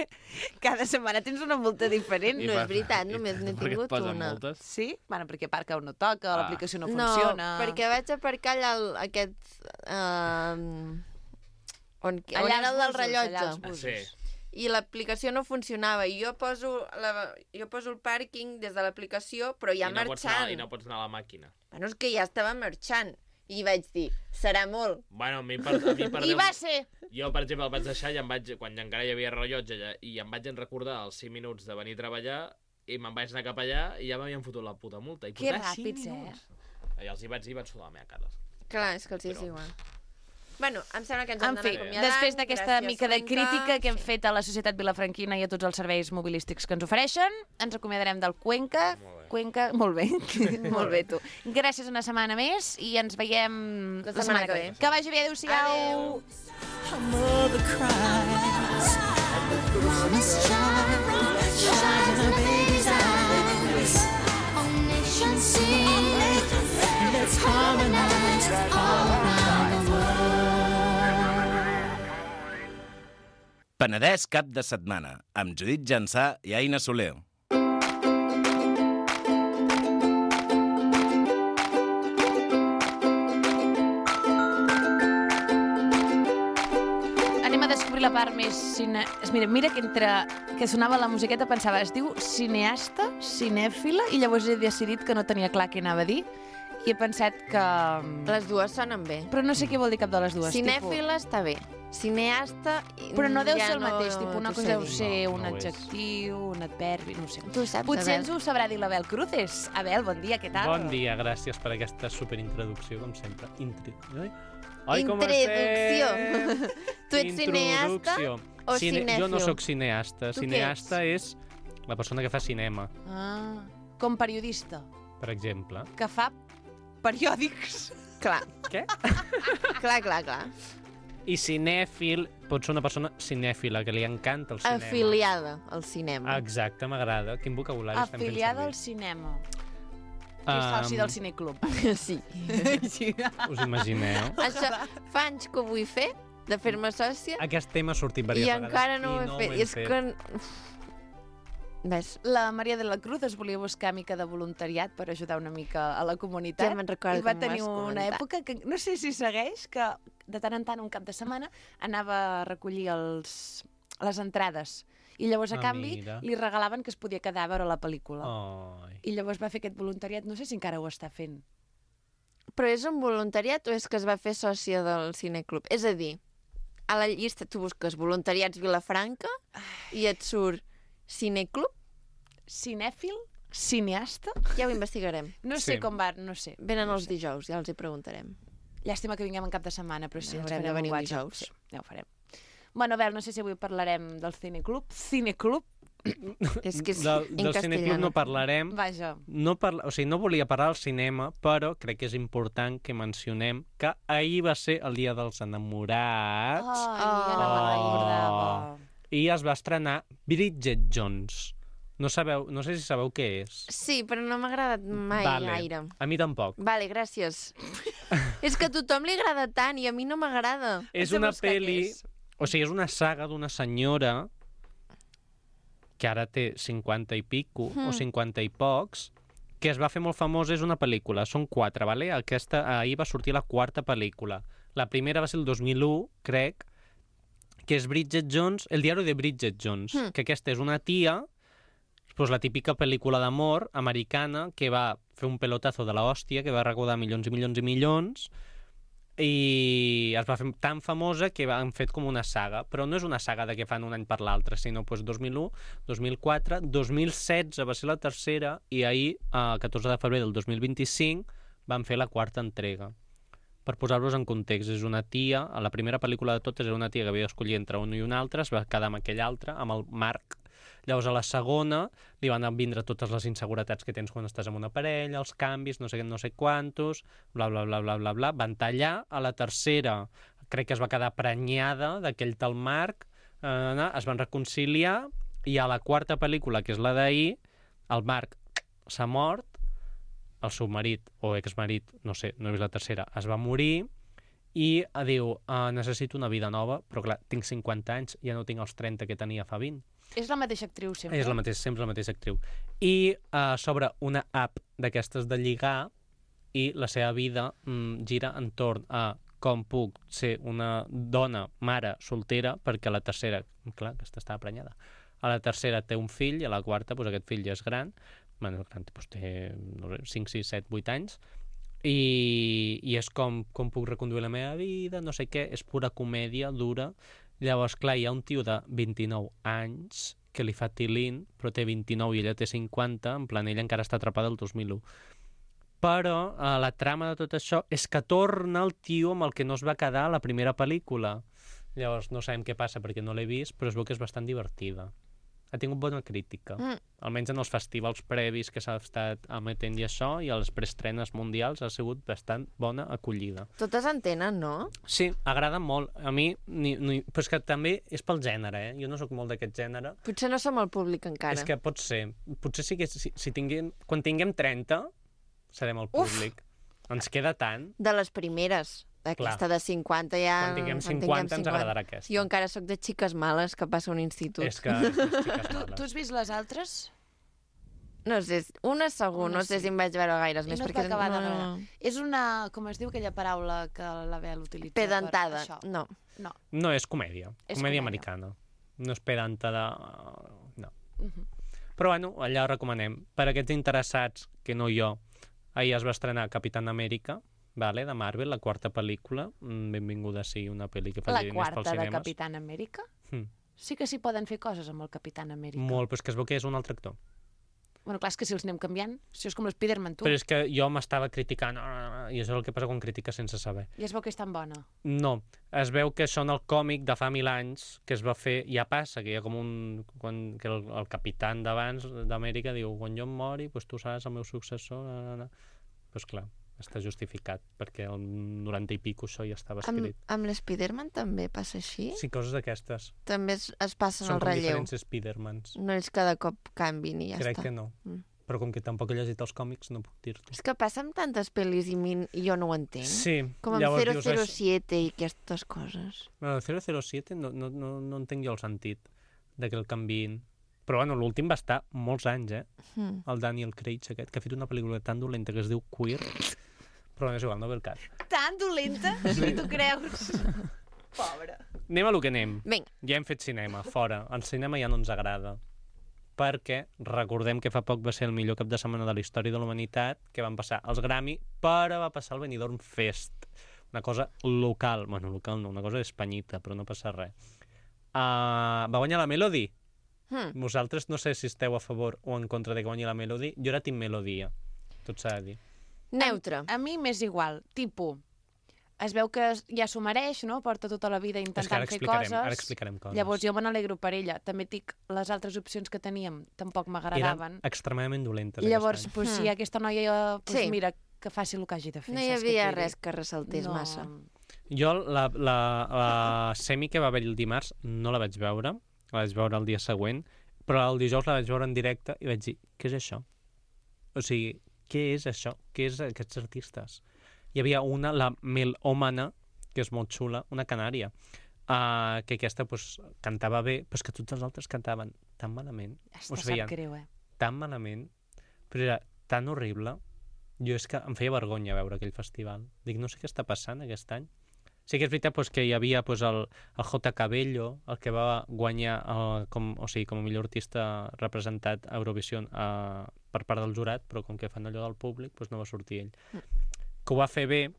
Cada setmana tens una multa diferent. No és veritat, només n'he tingut una. Multes? Sí? Bueno, perquè aparca on no toca, Ah. l'aplicació no No, funciona... perquè vaig aparcar allà el, aquest... Uh, on, Allà on era als el del busos, rellotge. allà als Ah, busos. sí. I l'aplicació no funcionava. I jo poso, la, jo poso el pàrquing des de l'aplicació, però ja I no pots anar, marxant. I no pots anar a la màquina. Bueno, és que ja estava marxant. I vaig dir, serà molt. Bueno, a mi per, a mi per I Déu- va ser... Jo, per exemple, el vaig deixar i em vaig, quan encara hi havia rellotge ja, i em vaig recordar els cinc minuts de venir a treballar i me'n vaig anar cap allà i ja m'havien fotut la puta multa. I Que portava cinc ràpids, eh? minuts. I els hi vaig dir i vaig sudar la meva cara. Clar, és que els hi és Però- igual. Bueno, em sembla que ens En hem fi, d'anar acomiadant. després d'aquesta Gràcies, mica de Cuenca. crítica que hem Sí. fet a la societat vilafranquina i a tots els serveis mobilístics que ens ofereixen, ens acomiadarem del Cuenca. Molt bé. Cuenca, molt bé, molt bé tu. Gràcies una setmana més i ens veiem La setmana que ve. Que vagi bé, adéu-siau. Adéu. Her mother cries. Promised child, shines in her baby's eyes. All nations sing. Let's harmonize all around the world. Penedès cap de setmana, amb Judit Jansà i Aina Soler. Anem a descobrir la part més... Cine... Mira, mira que entre que sonava la musiqueta pensava, es diu cineasta, cinèfila, i llavors he decidit que no tenia clar què anava a dir i he pensat que... Les dues sonen bé. Però no sé què vol dir cap de les dues. Cinèfila està bé. Cineasta... Tipus... Però no deu ja ser el no mateix, tipus, una t'ho cosa sé deu dir. ser No, un no ho és. adjectiu, un adverbi, no ho sé. Tu saps, Potser Abel. ens ho sabrà dir l'Abel Cruces. Abel, bon dia, què tal? Bon dia, gràcies per aquesta superintroducció, com sempre. Intri... Ai, Ai com Introducció. estem? Tu ets cineasta Introducció. o cinèfil? Jo no sóc cineasta. Tu què Cineasta és la persona que fa cinema, Ah, com periodista, per exemple. que fa periòdics. Clar. Què? Clar, clar, clar. I cinèfil pot ser una persona cinèfila, que li encanta el cinema. Afiliada al cinema. Exacte, m'agrada. Quin vocabulari estem fent Afiliada al servir? cinema. Que és soci del cineclub. Sí. Sí. Us imagineu? Això fa anys que ho vull fer, de fer-me sòcia, Aquest tema ha sortit i diverses vegades. encara no ho i he no fet. ho hem És que... Uf. Ves, La Maria de la Cruz es volia buscar mica de voluntariat per ajudar una mica a la comunitat. Ja me'n recordo I va que m'ho tenir vas una comentar. època que, no sé si segueix, que de tant en tant, un cap de setmana, anava a recollir els, les entrades. I llavors, a Ah, canvi, mira. li regalaven que es podia quedar a veure la pel·lícula. Ai. I llavors va fer aquest voluntariat, no sé si encara ho està fent. Però és un voluntariat o és que es va fer sòcia del cineclub? És a dir, a la llista tu busques voluntariats Vilafranca i et surt cineclub? Cinèfil? Cineasta? Ja ho investigarem. No sé Sí. com va, no sé. Venen no els sé. dijous, ja els hi preguntarem. Llàstima que vinguem en cap de setmana, però sí, ens Haurem de farem venir un un WhatsApp. dijous. Sí, ja ho farem. Bueno, Abel, no sé si avui parlarem del cineclub. Cineclub? És que és Del, en del cineclub no castellano. parlarem. Vaja. No, parla... o sigui, no volia parlar del cinema, però crec que és important que mencionem que ahir va ser el dia dels enamorats Ai, ja no me'n Oh. recordava. i es va estrenar Bridget Jones. No sabeu, no sé si sabeu què és. Sí, però no m'ha agradat mai Vale. gaire. A mi tampoc. Vale, gràcies. És que a tothom li agrada tant i a mi no m'agrada. És de una buscar què peli... és. O sigui, és una saga d'una senyora que ara té cinquanta i pico, Mm. o cinquanta i pocs, que es va fer molt famosa, és una pel·lícula. Són quatre, vale? Aquesta, ahir va sortir la quarta pel·lícula. La primera va ser el dos mil u, crec, que és Bridget Jones, el diari de Bridget Jones, Mm. que aquesta és una tia, pues, la típica pel·lícula d'amor americana que va fer un pelotazo de la hòstia, que va recaudar milions i milions i milions, i es va fer tan famosa que han fet com una saga, però no és una saga de que fan un any per l'altre, sinó pues, dos mil u, dos mil quatre, dos mil setze va ser la tercera i ahir, el catorze de febrer del dos mil vint-i-cinc, van fer la quarta entrega. Per posar-vos en context, és una tia, a la primera pel·lícula de totes era una tia que havia d'escollir entre un i un altre, es va quedar amb aquell altre, amb el Marc. Llavors, a la segona, li van vindre totes les inseguretats que tens quan estàs amb una parella, els canvis, no sé què, no sé quantos, bla, bla, bla, bla, bla, bla. Van tallar. A la tercera, crec que es va quedar prenyada d'aquell tal Marc, eh, es van reconciliar, i a la quarta pel·lícula, que és la d'ahir, el Marc s'ha mort, el seu marit o exmarit, no sé, no he vist la tercera, es va morir, i uh, diu, uh, necessito una vida nova, però clar, tinc cinquanta anys, ja no tinc els trenta que tenia fa vint. És la mateixa actriu, sempre? És la mateixa, sempre la mateixa actriu. I uh, sobre una app d'aquestes de lligar, i la seva vida mm, gira entorn a com puc ser una dona, mare, soltera, perquè a la tercera, clar, aquesta estava prenyada, a la tercera té un fill i a la quarta doncs, aquest fill ja és gran, bueno, gran doncs, té no sé, cinc, sis, set, vuit anys, i, i és com, com puc reconduir la meva vida, no sé què, és pura comèdia, dura. Llavors, clar, hi ha un tio de vint-i-nou anys que li fa tilín, però té vint-i-nou i ella té cinquanta, en plan, ella encara està atrapada el dos mil u. Però eh, la trama de tot això és que torna el tio amb el que no es va quedar a la primera pel·lícula. Llavors, no sabem què passa perquè no l'he vist, però es veu que és bastant divertida. Ha tingut bona crítica. Mm. Almenys en els festivals previs que s'ha estat emetent i això, i a les preestrenes mundials ha sigut bastant bona acollida. Totes en tenen, no? Sí, agrada molt. A mi, ni, ni... però és que també és pel gènere, eh? Jo no sóc molt d'aquest gènere. Potser no som el públic encara. És que pot ser. Potser sí que si, si tinguem... quan tinguem trenta, serem el públic. Uf! Ens queda tant. De les primeres. Aquesta de cinquanta ja... Quan tinguem cinquanta ens agradarà aquesta. Jo encara sóc de xiques males que passa a un institut. És que és de xiques Tu, males. tu has vist les altres? No sé, una segur, Una no sé sí. si em vaig veure gaires I més. no et perquè va acabar no... d'agradar. És una... com es diu aquella paraula que l'Abel utilitza? Pedantada, per això? no. No. No, és comèdia. És comèdia comèdia. americana. No és pedanta de... No. Uh -huh. Però bueno, allà ho recomanem. Per aquests interessats, que no jo, ahir es va estrenar Capitán Amèrica, vale, de Marvel, la quarta pel·lícula. Benvinguda sigui una pel·li que faci La diners pels quarta de cinemes. Capitán Amèrica? Mm. Sí que s'hi poden fer coses amb el Capitán Amèrica. Molt, però és que es veu que és un altre actor. Bueno, clar, és que si els anem canviant, això és com l'Spiderman, tu. Però és que jo m'estava criticant, ah, i això és el que passa quan critiques sense saber. I es veu que és tan bona. No, es veu que això en el còmic de fa mil anys que es va fer, ja passa, que hi ha com un... Quan, que el, el capitán d'abans d'Amèrica diu, quan jo em mori, doncs tu seràs el meu successor. Doncs pues clar, està justificat, perquè el noranta i pico això ja estava Amb, escrit. amb l'Spiderman també passa així? Sí, coses d'aquestes. També es, es passen Són el com relleu. diferents Spidermans. No és cada cop canvin i ja Crec està. que no. Mm. Però com que tampoc he llegit els còmics, no puc dir-t'ho. És que passa amb tantes pel·lis i, min... i jo no ho entenc. Sí, Com amb llavors zero dius, zero "Això- siete i aquestes coses. Bueno, el zero zero siete no, no, no, no entenc jo el sentit de que el canviïn. Però bueno, l'últim va estar molts anys, eh? Mm. El Daniel Craig aquest, que ha fet una pel·lícula tan dolenta que es diu Queer. Però no és igual, no ve el cas. Tan dolenta? Sí. Tu creus? Pobre. Anem a lo que anem. Vinga. Ja hem fet cinema, fora. El cinema ja no ens agrada. Perquè recordem que fa poc va ser el millor cap de setmana de la història de la humanitat, que van passar els Grammy, però va passar el Benidorm Fest. Una cosa local. Bueno, local no, una cosa espanyita, però no passa res. Uh, va guanyar la Melody. Mm. Vosaltres no sé si esteu a favor o en contra de que guanyi la Melody. Jo era team Melodia, tot s'ha de dir. Neutre. A mi m'és igual. Tipo, es veu que ja s'ho mereix, no? Porta tota la vida És que intentant ara fer explicarem, coses. ara explicarem coses. Llavors jo me n'alegro per ella. També et dic, les altres opcions que teníem tampoc m'agradaven. Eren extremadament dolentes Llavors, aquest any. pues, si Mm. aquesta noia, pues, Sí. mira, que faci el que hagi de fer. No hi saps què havia t'ho diré? res que ressaltés no. massa. Jo la, la, la semi que va haver el dimarts no la vaig veure, la vaig veure el dia següent, però el dijous la vaig veure en directe i vaig dir, què és això? O sigui, què és això? Què és aquests artistes? Hi havia una, la Melòmana, que és molt xula, una canària, uh, que aquesta pues, cantava bé, però és que tots els altres cantaven tan malament, Està, us veien sap greu, eh? tan malament, però era tan horrible. Jo és que em feia vergonya veure aquell festival. Dic, no sé què està passant aquest any. Sí que és veritat pues, que hi havia pues, el, el J. Cabello, el que va guanyar el, com, o sigui, com a millor artista representat a Eurovision a, per part del jurat, però com que fan allò del públic, pues, no va sortir ell. Mm. Que ho va fer bé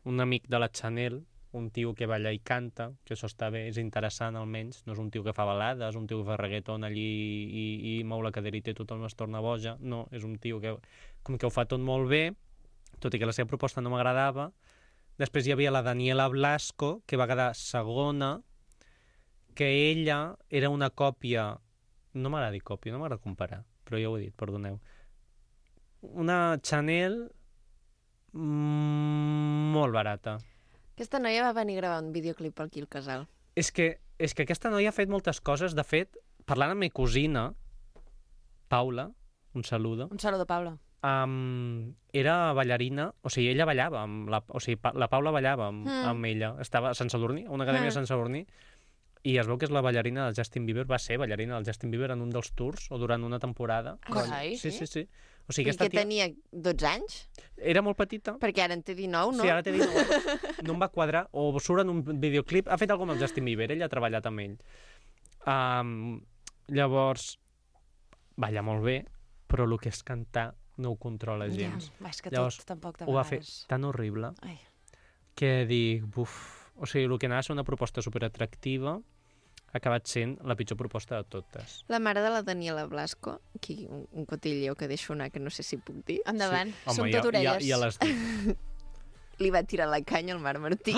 un amic de la Chanel, un tio que balla i canta, que això està bé, és interessant almenys, no és un tio que fa balades, un tio que fa reggaeton allí i, i mou la caderita i tothom es torna boja, no, és un tio que com que ho fa tot molt bé, tot i que la seva proposta no m'agradava. Després hi havia la Daniela Blasco, que va quedar segona, que ella era una còpia, no m'agrada dir còpia, no m'agrada comparar, però ja ho he dit, perdoneu, una Chanel molt barata. Aquesta noia va venir a gravar un videoclip aquí al casal. És que, és que aquesta noia ha fet moltes coses. De fet, parlant amb ma cosina, Paula, un saludo, Un saludo, Paula. Um, era ballarina, o sigui, ella ballava, amb la, o sigui, pa, la Paula ballava amb, Mm. amb ella. Estava a Sant Sadurní, a una acadèmia Mm. a Sant Sadurní, i es veu que és la ballarina del Justin Bieber, va ser ballarina del Justin Bieber en un dels tours, o durant una temporada. Carai, Sí, sí, sí. O I sigui, aquesta que tia tenia dotze anys? era molt petita. Perquè ara en té dinou, no? Sí, ara t'he dit, no, no em va quadrar, o surt en un videoclip, ha fet alguna cosa amb el Justin Bieber, ell ha treballat amb ell. Um, llavors, balla molt bé, però el que és cantar no ho controla gens. Va, és que Llavors, tot tampoc de Ho va fer vegades. tan horrible Ai. que dic, buf, o sigui, el que anava a ser una proposta superatractiva ha acabat sent la pitjor proposta de totes. La mare de la Daniela Blasco, aquí un, un cotilleo que deixo anar, que no sé si puc dir, Endavant, Home, som ja, tot orelles. ja, ja l'has dit. li va tirar la canya al Marc Martí.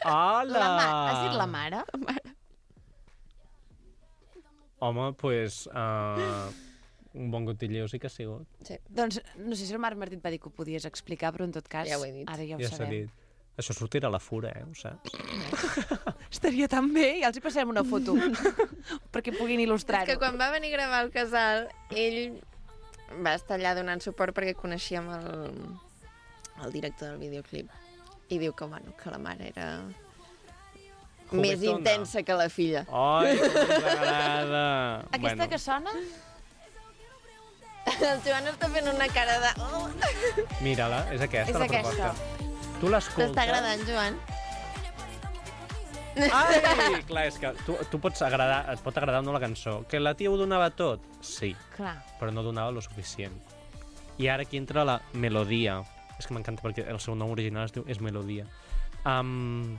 Hola! La ma... Has dit la mare? Home, doncs, pues, uh, un bon cotilleo sí que ha sigut. Doncs no sé si el Marc Martí et va dir que ho podies explicar, però en tot cas, Ja ho he dit. ara ja ho Ja s'ha sabem. dit. Això sortirà a la fura, eh? Ho saps? Estaria tan bé, ja els hi passarem una foto perquè puguin És il·lustrar-ho. que quan va venir a gravar el casal, ell va estar allà donant suport perquè coneixíem el, el director del videoclip. I diu que, bueno, que la mare era més Juguetona. intensa que la filla. Ai, que ens agrada! Aquesta que sona? El Joan està fent una cara de... Oh. Mira-la, és aquesta És la aquesta. proposta. Tu l'escoltes... T'està agradant, Joan? Ai, clar, és que tu, tu pots agradar, et pot agradar o no la cançó. Que la tia ho donava tot? Sí, Clar. però no donava lo suficient. I ara aquí entra la melodia. És que m'encanta perquè el seu nom original es diu és Melodia. Um,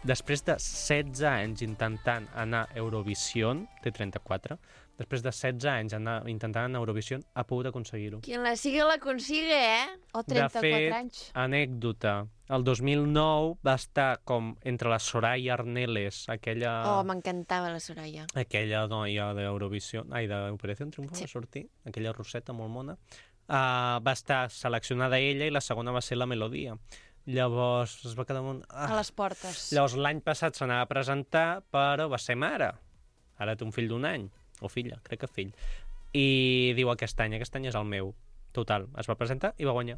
després de setze anys intentant anar a Eurovision, té trenta-quatre, després de setze anys anar, intentant anar a Eurovision, ha pogut aconseguir-ho. Quien la sigue la consigue, eh? O De trenta-quatre fet, anys. anècdota, el dos mil nou va estar com entre la Soraya Arneles, aquella... Oh, m'encantava la Soraya. aquella noia d'Eurovisió, ai, d'Operació Triunfo, Sí. va sortir, aquella roseta molt mona, uh, va estar seleccionada ella i la segona va ser la Melodia. Llavors es va quedar molt... A Ah. les portes. Llavors l'any passat s'anava a presentar, però va ser mare. Ara té un fill d'un any, o filla, crec que fill. I diu aquest any, aquest any és el meu. Total, es va presentar i va guanyar.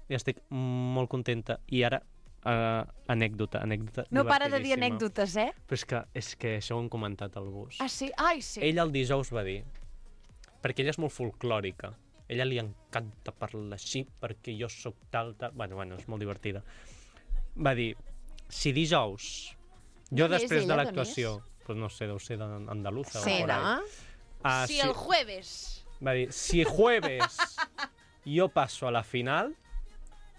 I estic molt contenta. I ara, uh, anècdota, anècdota No para de dir divertidíssima. anècdotes, eh? Però és que, és que això ho hem comentat al bus. Ah, sí? Ai, sí. Ella el dijous va dir, perquè ella és molt folclòrica, ella li encanta parlar així perquè jo sóc tal, tal... Bueno, bueno, és molt divertida. Va dir, si dijous, jo D'on és després de ella, d'on l'actuació, pues no sé, deu ser d'andaluza Sí, o por ahí. no? Ah, Si el jueves... Va dir, si jueves yo paso a la final,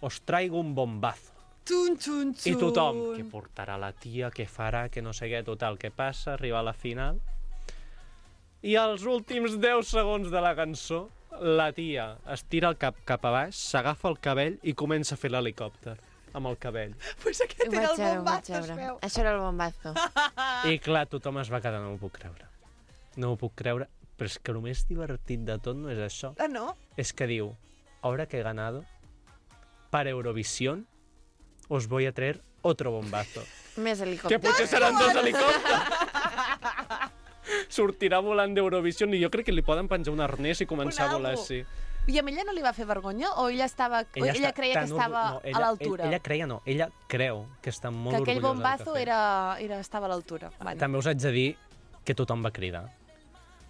os traigo un bombazo. Tun, tun, tun. I tothom, què portarà la tia, què farà, que no sé què, total, què passa, arriba a la final. I als últims deu segons de la cançó, la tia es tira el cap cap a baix, s'agafa el cabell i comença a fer l'helicòpter amb el cabell. Pues aquest Ho era vaig el veure, ho bombazo, vaig es veure. veu. Això era el bombazo. I clar, tothom es va quedar, no m'ho puc creure. No m'ho puc creure, però és que el més divertit de tot no és això. Ah, no? Es que diu, ahora que he ganado, para Eurovisión, os voy a traer otro bombazo. Més Que helicòpter. potser seran dos helicòpters. Sortirà volant d'Eurovision i jo crec que li poden penjar un arnès i començar Un a volar avo. així. I amb ella no li va fer vergonya? O ella, estava... ella, ella està creia que tan estava orgu- no, ella, a l'altura? Ella, ella creia no, ella creu que està molt Que aquell orgullosa del bombazo que ha fet. era, era, estava a l'altura. Bueno. També us haig de dir que tothom va cridar.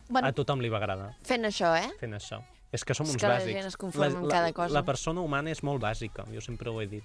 Bueno, A tothom li va agradar Fent això, eh? fent això. És que som És uns que la bàsics. gent es conforma amb cada cosa. La persona humana és molt bàsica, jo sempre ho he dit.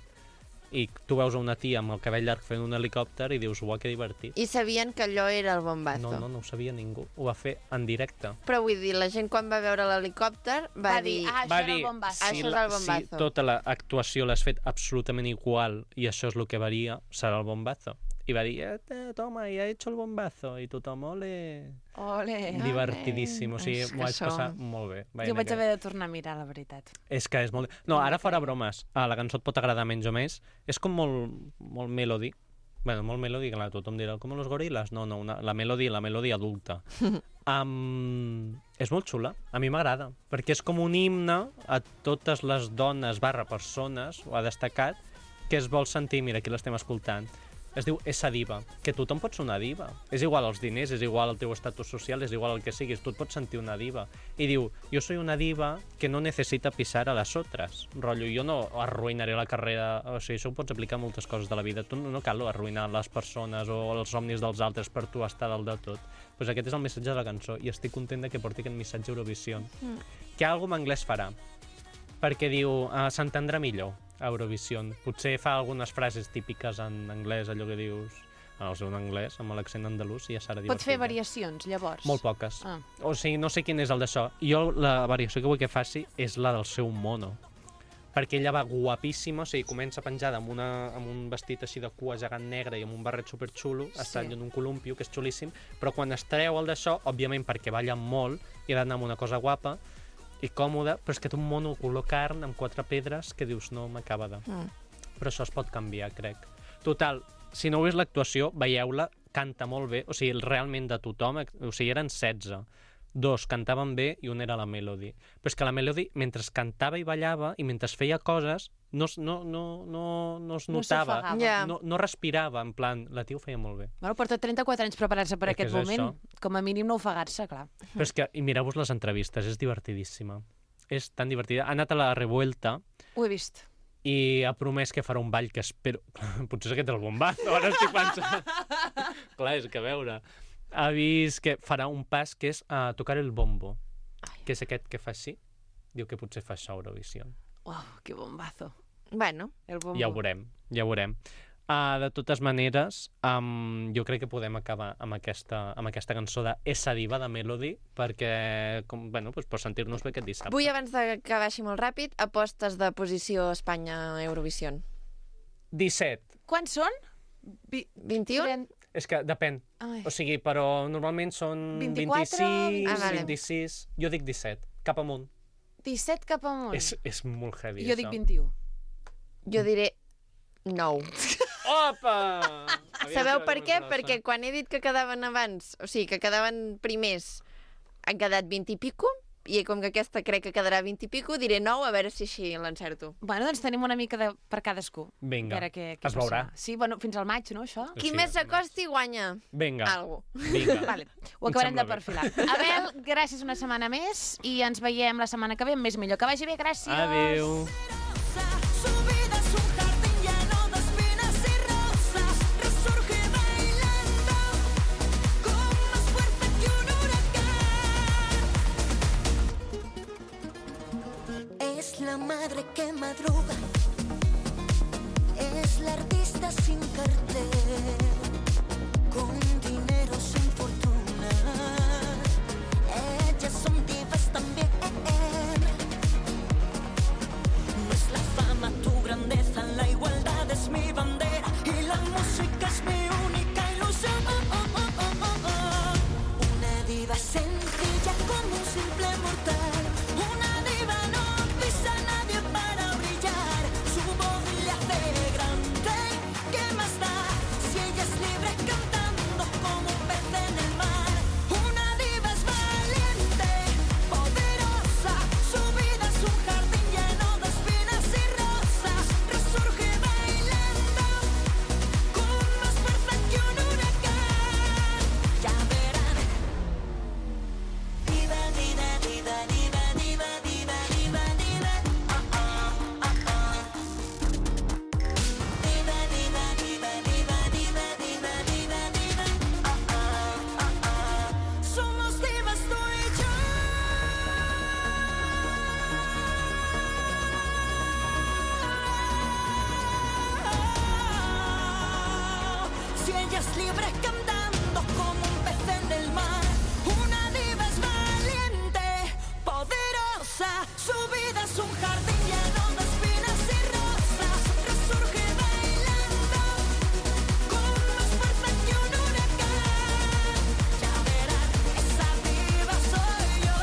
I tu veus una tia amb el cabell llarg fent un helicòpter i dius, uau, que divertit. I sabien que allò era el bombazo. No, no, no ho sabia ningú. Ho va fer en directe. Però vull dir, la gent quan va veure l'helicòpter va, va dir, ah, això va era dir, el bombazo. Això és la- el bombazo. si tota l'actuació l'has fet absolutament igual i això és el que varia, serà el bombazo. I va dir, eh, toma, ja he hecho el bombazo. I tothom, ole... Ole. Divertidíssim, o sigui, és que m'ho vaig som- passar molt bé. Jo vaig haver de tornar a mirar, la veritat. És que és molt... No, ara fora bromes. Ah, la cançó et pot agradar menys o més. És com molt, molt melody. Bueno, molt melody, clar, tothom dirà, com los gorilas? No, no, una, la melody, la melody adulta. um, és molt xula, a mi m'agrada, perquè és com un himne a totes les dones barra persones, ho ha destacat, que es vol sentir, mira, aquí l'estem escoltant, Es diu Essa Diva, que tothom pot ser una diva. És igual els diners, és igual el teu estatus social, és igual el que siguis, tu et pots sentir una diva. I diu, jo soy una diva que no necessita pisar a les otras. Rotllo, jo no arruïnaré la carrera... O sigui, això ho pots aplicar a moltes coses de la vida. Tu no, no cal arruïnar les persones o els somnis dels altres per tu estar dalt de tot. Pues aquest és el missatge de la cançó i estic content de que porti aquest missatge a Eurovisió. Mm. Que algú en anglès farà. Perquè diu, uh, s'entendrà millor a Eurovisió. Potser fa algunes frases típiques en anglès, allò que dius... No sé, en anglès, amb l'accent andalús, i ja serà divertit. Pot fer variacions, llavors? Molt poques. Ah. O sigui, no sé quin és el d'això. Jo la variació que vull que faci és la del seu mono. Perquè ella va guapíssima, o sigui, comença penjada amb, una, amb un vestit així de cua gegant negre i amb un barret superxulo, sí. Està en un columpio, que és xulíssim, però quan es treu el d'això, òbviament perquè balla molt i ha d'anar amb una cosa guapa i còmoda, però és que té un mono color carn amb quatre pedres que dius, no m'acaba de... Mm. Però això es pot canviar, crec. Total, si no heu vist l'actuació, veieu-la, canta molt bé, o sigui, realment de tothom, o sigui, eren setze. Dos cantaven bé i un era la Melody. Però és que la Melody, mentre cantava i ballava i mentre feia coses, no, no, no, no, no es notava, no, yeah. no, no respirava, en plan, la tia ho feia molt bé. Bueno, porta trenta-quatre anys preparant-se per És que aquest és moment. això. Com a mínim no ofegar-se, clar. Però és que, i mireu-vos les entrevistes, és divertidíssima. És tan divertida. Ha anat a la Revuelta Ho he vist. i ha promès que farà un ball que espero... Potser és aquest el bombazo, ara estic pensant. Clar, és que a veure... Ha vist que farà un pas que és a uh, tocar el bombo, Ai. Que és aquest que fa així. Diu que potser fa això a Eurovisió. Uau, que bombazo. Bueno, El bombo. Ja ho veurem, ja ho veurem. Uh, de totes maneres, um, jo crec que podem acabar amb aquesta, amb aquesta cançó de Essa Diva, de Melody, perquè, com, bueno, doncs per sentir-nos bé aquest dissabte. vull, abans de que baixi molt ràpid, apostes de posició Espanya-Eurovisió. disset. Quants són? Vi... vint-i-u? trenta... És que depèn. Ai. O sigui, però normalment són vint-i-quatre, vint-i-sis, Ah, vale. vint-i-sis... Jo dic disset, cap amunt. disset cap amunt. És, és molt heavy, Jo això. dic vint-i-u. Jo diré nou. Opa! Sabeu per què? Perquè quan he dit que quedaven abans, o sigui, que quedaven primers, han quedat vint i pico, i com que aquesta crec que quedarà vint i pico, diré nou, a veure si així l'encerto. Bueno, doncs tenim una mica de... per cadascú. Vinga, A veure què, què es veurà. passa. Sí, bueno, fins al maig, no, això? Qui Sí, més s'acosti guanya Vinga, algo. vinga. Vale, ho acabarem sembla de bé. perfilar. Abel, gràcies una setmana més i ens veiem la setmana que ve amb més millor. Que vagi bé, gràcies. Adéu. Su vida es un jardín lleno de espinas y rosas. Resurge bailando con más fuerza que un huracán. Es la madre que madruga. Es la artista sin cartel. Con dinero sin fortuna. Ellas son divas también. No es la fama tu grandeza, la igualdad es mi bandera y la música es mi única ilusión. Una diva sencilla como un simple mortal. Una diva no pisa a nadie para brillar. Su voz le hace grande. ¿Qué más da si ella es libre cantando como un pez en el mar? Una diva es valiente, poderosa. Su vida es un jardín lleno de espinas y rosas. Resurge bailando con más fuerza que un huracán. Ya verán. Diva, diva, diva, diva, diva, diva, diva, diva. Ah, ah, ah, ah. Diva, diva, diva, diva, diva, diva, diva, diva. Ah, ah, ah, ah. Somos divas tú y yo. Si ella es libre cantando como un pez en el mar. Una diva es valiente, poderosa. Su vida es un jardín lleno de espinas y rosas. Resurge bailando con más fuerza que un huracán. Ya verán, esa diva soy yo.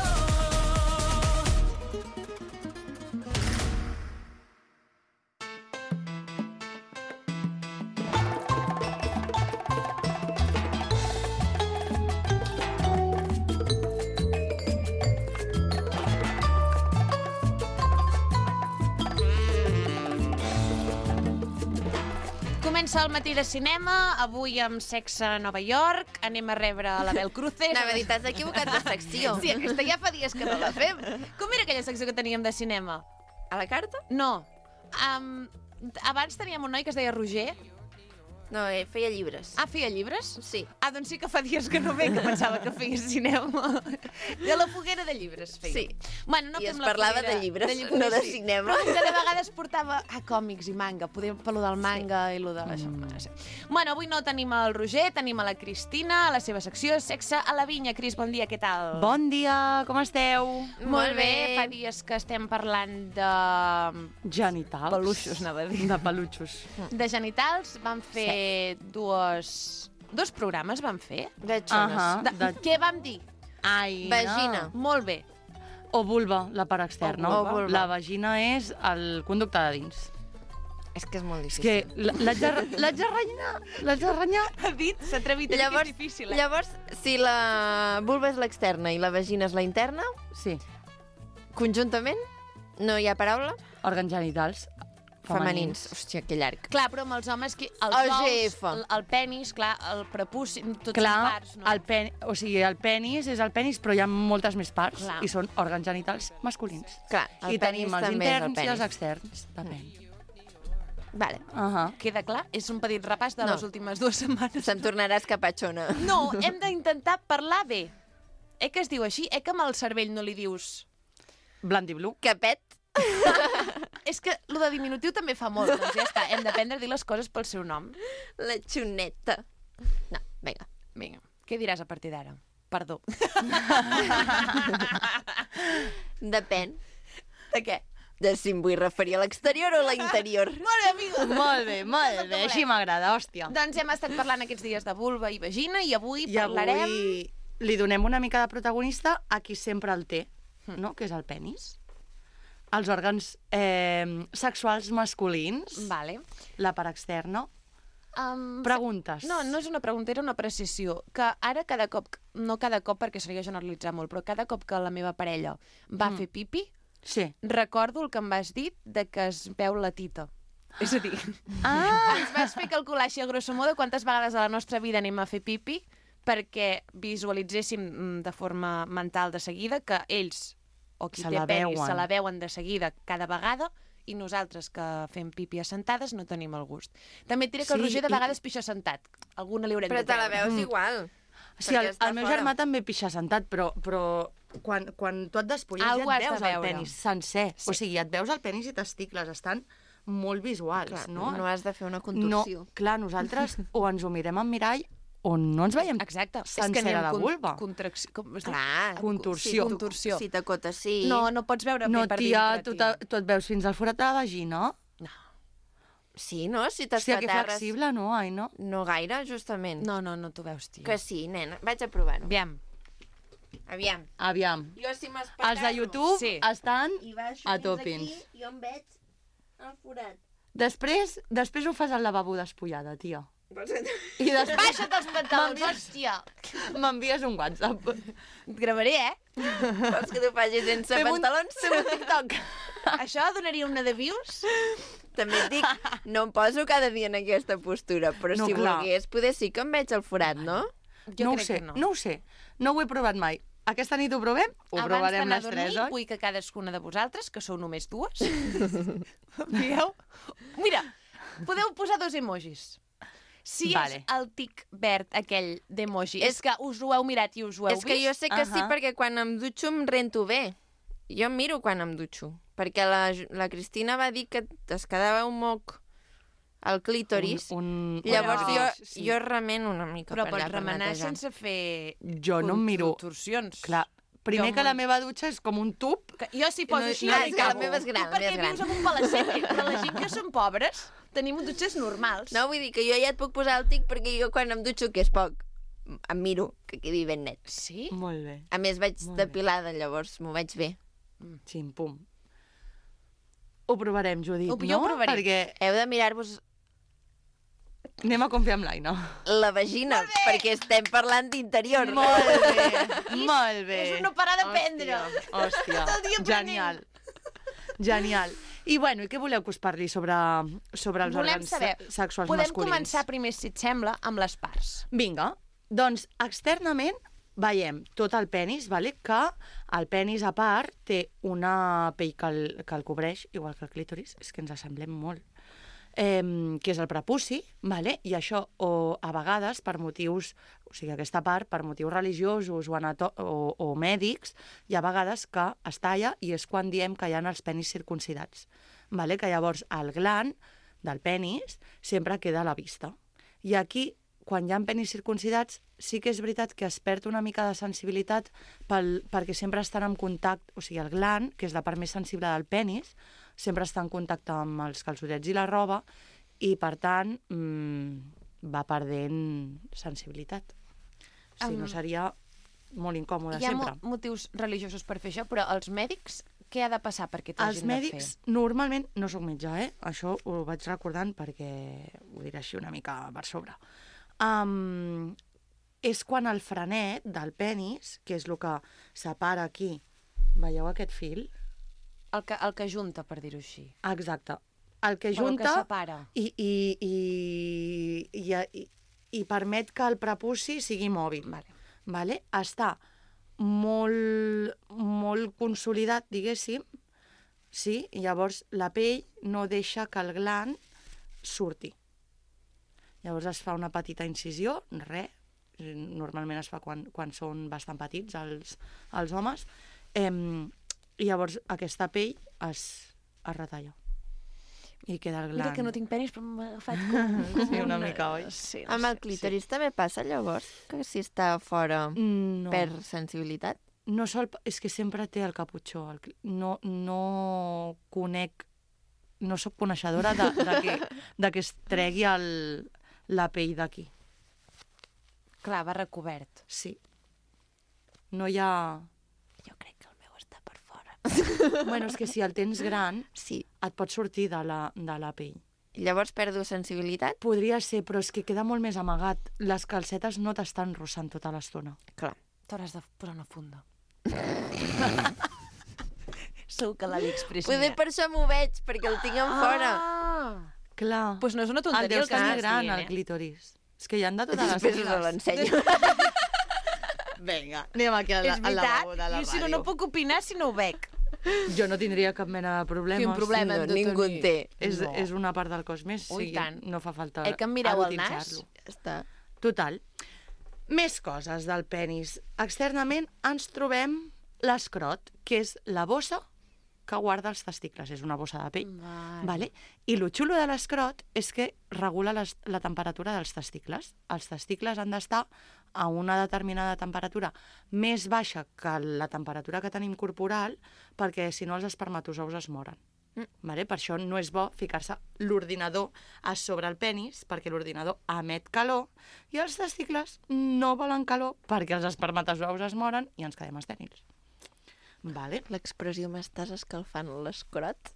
Comença el matí de cinema, avui amb Sexe a Nova York, anem a rebre a l'Abel Cruces. Anava a dir, t'has equivocat de secció. Sí, aquesta ja fa dies que no la fem. Com era aquella secció que teníem de cinema? A la carta? No. Um, abans teníem un noi que es deia Roger. No, eh, feia llibres. Ah, feia llibres? Sí. Ah, doncs sí que fa dies que no ve, que pensava que feia cinema. De la foguera de llibres feia. Sí. Bueno, no I fem es la parlava foguera de llibres, llibres, no de sí. cinema. Però de vegades portava ah, còmics i manga, podem pel del manga sí. i lo de això. Mm. Sí. Bueno, avui no tenim el Roger, tenim a la Cristina, a la seva secció Sexe a la vinya. Cris, bon dia, què tal? Bon dia, com esteu? Molt bé, fa dies que estem parlant de... Genitals. Peluixos, anava a dir. De peluixos. De genitals. Vam fer sí. dues... Dos programes vam fer. De xones. Ahà. De... De- Què vam dir? Ai, Vagina. Molt bé. O vulva, la part externa. O vulva. La vagina és el conducte de dins. És que és molt És difícil. que l- l'haig de, l'haig de renyar, l'haig de renyar. Ha dit, s'ha atrevit a dir Llavors, que és difícil. Eh? llavors, si la vulva és l'externa i la vagina és la interna, Sí, conjuntament, no hi ha paraula? òrgans genitals Femenins. femenins. Hòstia, que llarg. Clar, però amb els homes, que els O G ous, F. el, el penis, clar, el prepuci, tots Clar, són parts, no? el, pen, o sigui, el penis és el penis, però hi ha moltes més parts Clar. i són òrgans genitals masculins. Clar, el I tenim penis els també és el interns i els penis. externs. Depèn. Vale. Uh -huh. Queda clar? És un petit repàs de No. les últimes dues setmanes. Se'm tornarà escapatxona. No, hem d'intentar parlar bé. Eh que es diu així? Eh que amb el cervell no li dius... Blanc i blu. Capet. És que lo de diminutiu també fa molt, doncs ja està. Hem d'aprendre a dir les coses pel seu nom. La xuneta. No, vinga. Vinga, què diràs a partir d'ara? Perdó. Depèn De què? de si em vull referir a l'exterior o a l'interior. Molt bé, amiga. Molt bé, molt bé, així m'agrada, hòstia. Doncs hem estat parlant aquests dies de vulva i vagina i avui I parlarem... avui li donem una mica de protagonista a qui sempre el té, no? Que és el penis. Els òrgans eh, sexuals masculins, Vale. la part externa. Um, Preguntes. No, no és una pregunta, era una precisió. Que ara cada cop, no cada cop perquè seria generalitzar molt, però cada cop que la meva parella va Mm. fer pipi, Sí. recordo el que em vas dir de que es veu la tita. És a dir, Ah! ens vas fer calcular així a grosso modo quantes vegades a la nostra vida anem a fer pipi perquè visualitzéssim mm, de forma mental de seguida que ells, o qui Se té la penis, veuen. se la veuen de seguida cada vegada i nosaltres que fem pipi assentades no tenim el gust. També et diré que el Sí, Roger de i- vegades pixa sentat. Alguna li haurem Però de te la treure. veus igual. Sí, perquè el, està el meu fora. germà també pixa sentat, però, però quan, quan tu et despulles ja Algú has et de veus el veure. penis sencer. Sí. O sigui, et veus el penis i testicles, estan molt visuals, Clar, no? no has de fer una no, contorsió. clar, nosaltres o ens ho mirem en mirall o no ens veiem Exacte. sencera la vulva. Contracció. Com es diu? Clar. Contorsió. Si, Contorsió. Si t'acotes, sí. No, no pots veure No, bé per tia, dintre, tu, tia. te- tu et veus fins al forat de la vagina? No. Sí, no? Si Hòstia, que t'espaterres... flexible, no, ai, no? No gaire, justament. No, no, no t'ho veus, tia. Que sí, nena. Vaig a provar-ho. Aviam. Aviam. Aviam. Jo si m'espaterro... Els de YouTube Sí. estan I baixo a fins topins. aquí, jo em veig el forat. Després, després ho fas al lavabo despullada, tia. Vols que... I després Baixa't els pantalons, M'envies- hòstia. m'envies un WhatsApp. Et gravaré, eh? Vols que t'ho faci sense Fem un- pantalons? Fem un TikTok. Això donaria una de views? També et dic, no em poso cada dia en aquesta postura, però No, si clar. volgués, poder sí que em veig el forat, no? Jo no ho crec sé, que no. no ho sé. No ho he provat mai. Aquesta nit ho provem? Ho Abans provarem d'anar a les dormir, tres, oi? vull que cadascuna de vosaltres, que sou només dues, veieu? Mira, podeu posar dos emojis. Si Vale. és el tic verd aquell d'emoji, és És- que us ho heu mirat i us ho heu És que vist? jo sé que sí, Ahà. perquè quan em dutxo em rento bé. Jo em miro quan em dutxo. Perquè la, la Cristina va dir que es quedava un moc al clítoris. Un, un... Llavors Però- jo, sí. jo remeno una mica Però per pots allà per remenar netejar. sense fer Jo no em miro... contorsions. Clar, primer Jo que la molt- meva dutxa és com un tub. Que jo si poso No, així... no, ja és m'hi que la cago. meva és gran, Tu la perquè meva és vius gran. en un palacete, però la gent que som pobres tenim dutxes normals. No, vull dir que jo ja et puc posar el tic perquè jo quan em dutxo, que és poc, em miro, que quedi ben net. Sí? Molt bé. A més vaig Molt bé. depilada, llavors m'ho veig bé. Xim-pum. Ho provarem, Judit, Ho- no? jo ho provaré. Perquè Heu de mirar-vos anem a confiar en l'Aina. la vagina, perquè estem parlant d'interior. Molt bé, molt bé. És un no parar d'aprendre. Hòstia, Tot el dia hòstia. aprenent. Genial. Genial. I bueno, i què voleu que us parli sobre, sobre els Volem òrgans saber, se- sexuals podem masculins? començar primer, si et sembla, amb les parts. Vinga, doncs externament veiem tot el penis, vale? Que el penis a part té una pell que el, que el cobreix, igual que el clítoris, és que ens assemblem molt, eh, que és el prepuci, vale? I això o, a vegades per motius, o sigui, aquesta part per motius religiosos o, anato o, o mèdics, hi ha vegades que es talla i és quan diem que hi ha els penis circuncidats, vale? Que llavors el gland del penis sempre queda a la vista. I aquí, quan hi ha penis circuncidats, sí que és veritat que es perd una mica de sensibilitat pel, perquè sempre estan en contacte, o sigui, el gland, que és la part més sensible del penis, sempre està en contacte amb els calçotets i la roba i, per tant, mmm, va perdent sensibilitat. Si Um, no, seria molt incòmode Hi ha sempre. mo motius religiosos per fer això, però els mèdics, què ha de passar perquè t'ho Els hagin de fer? mèdics, normalment, no sóc metge, eh? Això ho vaig recordant perquè ho diré així una mica per sobre. Um, és quan el frenet del penis, que és el que separa aquí, veieu aquest fil? El que, el que junta, per dir-ho així. Exacte. El que Però el que junta separa. i, i, i, i, i, i permet que el prepuci sigui mòbil. Vale. Vale? Està molt, molt consolidat, diguéssim, sí? I llavors la pell no deixa que el gland surti. Llavors es fa una petita incisió, res, normalment es fa quan, quan són bastant petits els, els homes, eh, i llavors aquesta pell es, es retalla. I queda el gland. Mira que no tinc penis, però m'ha agafat com... Sí, una mica, oi? Sí, no Amb el sé, clítoris també passa, llavors, que si està fora No. perd sensibilitat? No sol, és que sempre té el caputxó. El, cli- no, no conec, no sóc coneixedora de, de, que, de que es tregui el, la pell d'aquí. Sí. Clar, va recobert. Sí. No hi ha... Jo crec que el meu està per fora. Bueno, és que si el tens gran, Sí. et pot sortir de la, de la pell. Llavors perdo sensibilitat? Podria ser, però és que queda molt més amagat. Les calcetes no t'estan rossant tota l'estona. Clar. T'hauràs de posar una funda. Segur que l'AliExpress Poder per això m'ho veig, perquè el tinc en fora. Ah! Clar. Pues no és una el tonteria el deus que tenir estàs gran, dient, el eh? clítoris. És que hi han de totes les Després us mides. l'ensenyo. Vinga, anem aquí al, És al veritat, lavabo de la jo si no, ràdio. no puc opinar si no ho veig. Jo no tindria cap mena de problemes. Quin problema No, hem de ningú en tenir? té. És, No. és una part del cos més, Ui, sí, tant. no fa falta Eh, que em mireu el nas? erotitzar-lo. Ja està. Total. Més coses del penis. Externament ens trobem l'escrot, que és la bossa que guarda els testicles. És una bossa de pell. Vale. Vale? I el xulo de l'escrot és que regula les, la temperatura dels testicles. Els testicles han d'estar a una determinada temperatura més baixa que la temperatura que tenim corporal, perquè si no els espermatozous es moren. Mm. Vale? Per això no és bo ficar-se l'ordinador a sobre el penis, perquè l'ordinador emet calor, i els testicles no volen calor perquè els espermatozous es moren i ens quedem estèrils. Vale? L'expressió m'estàs escalfant l'escrot?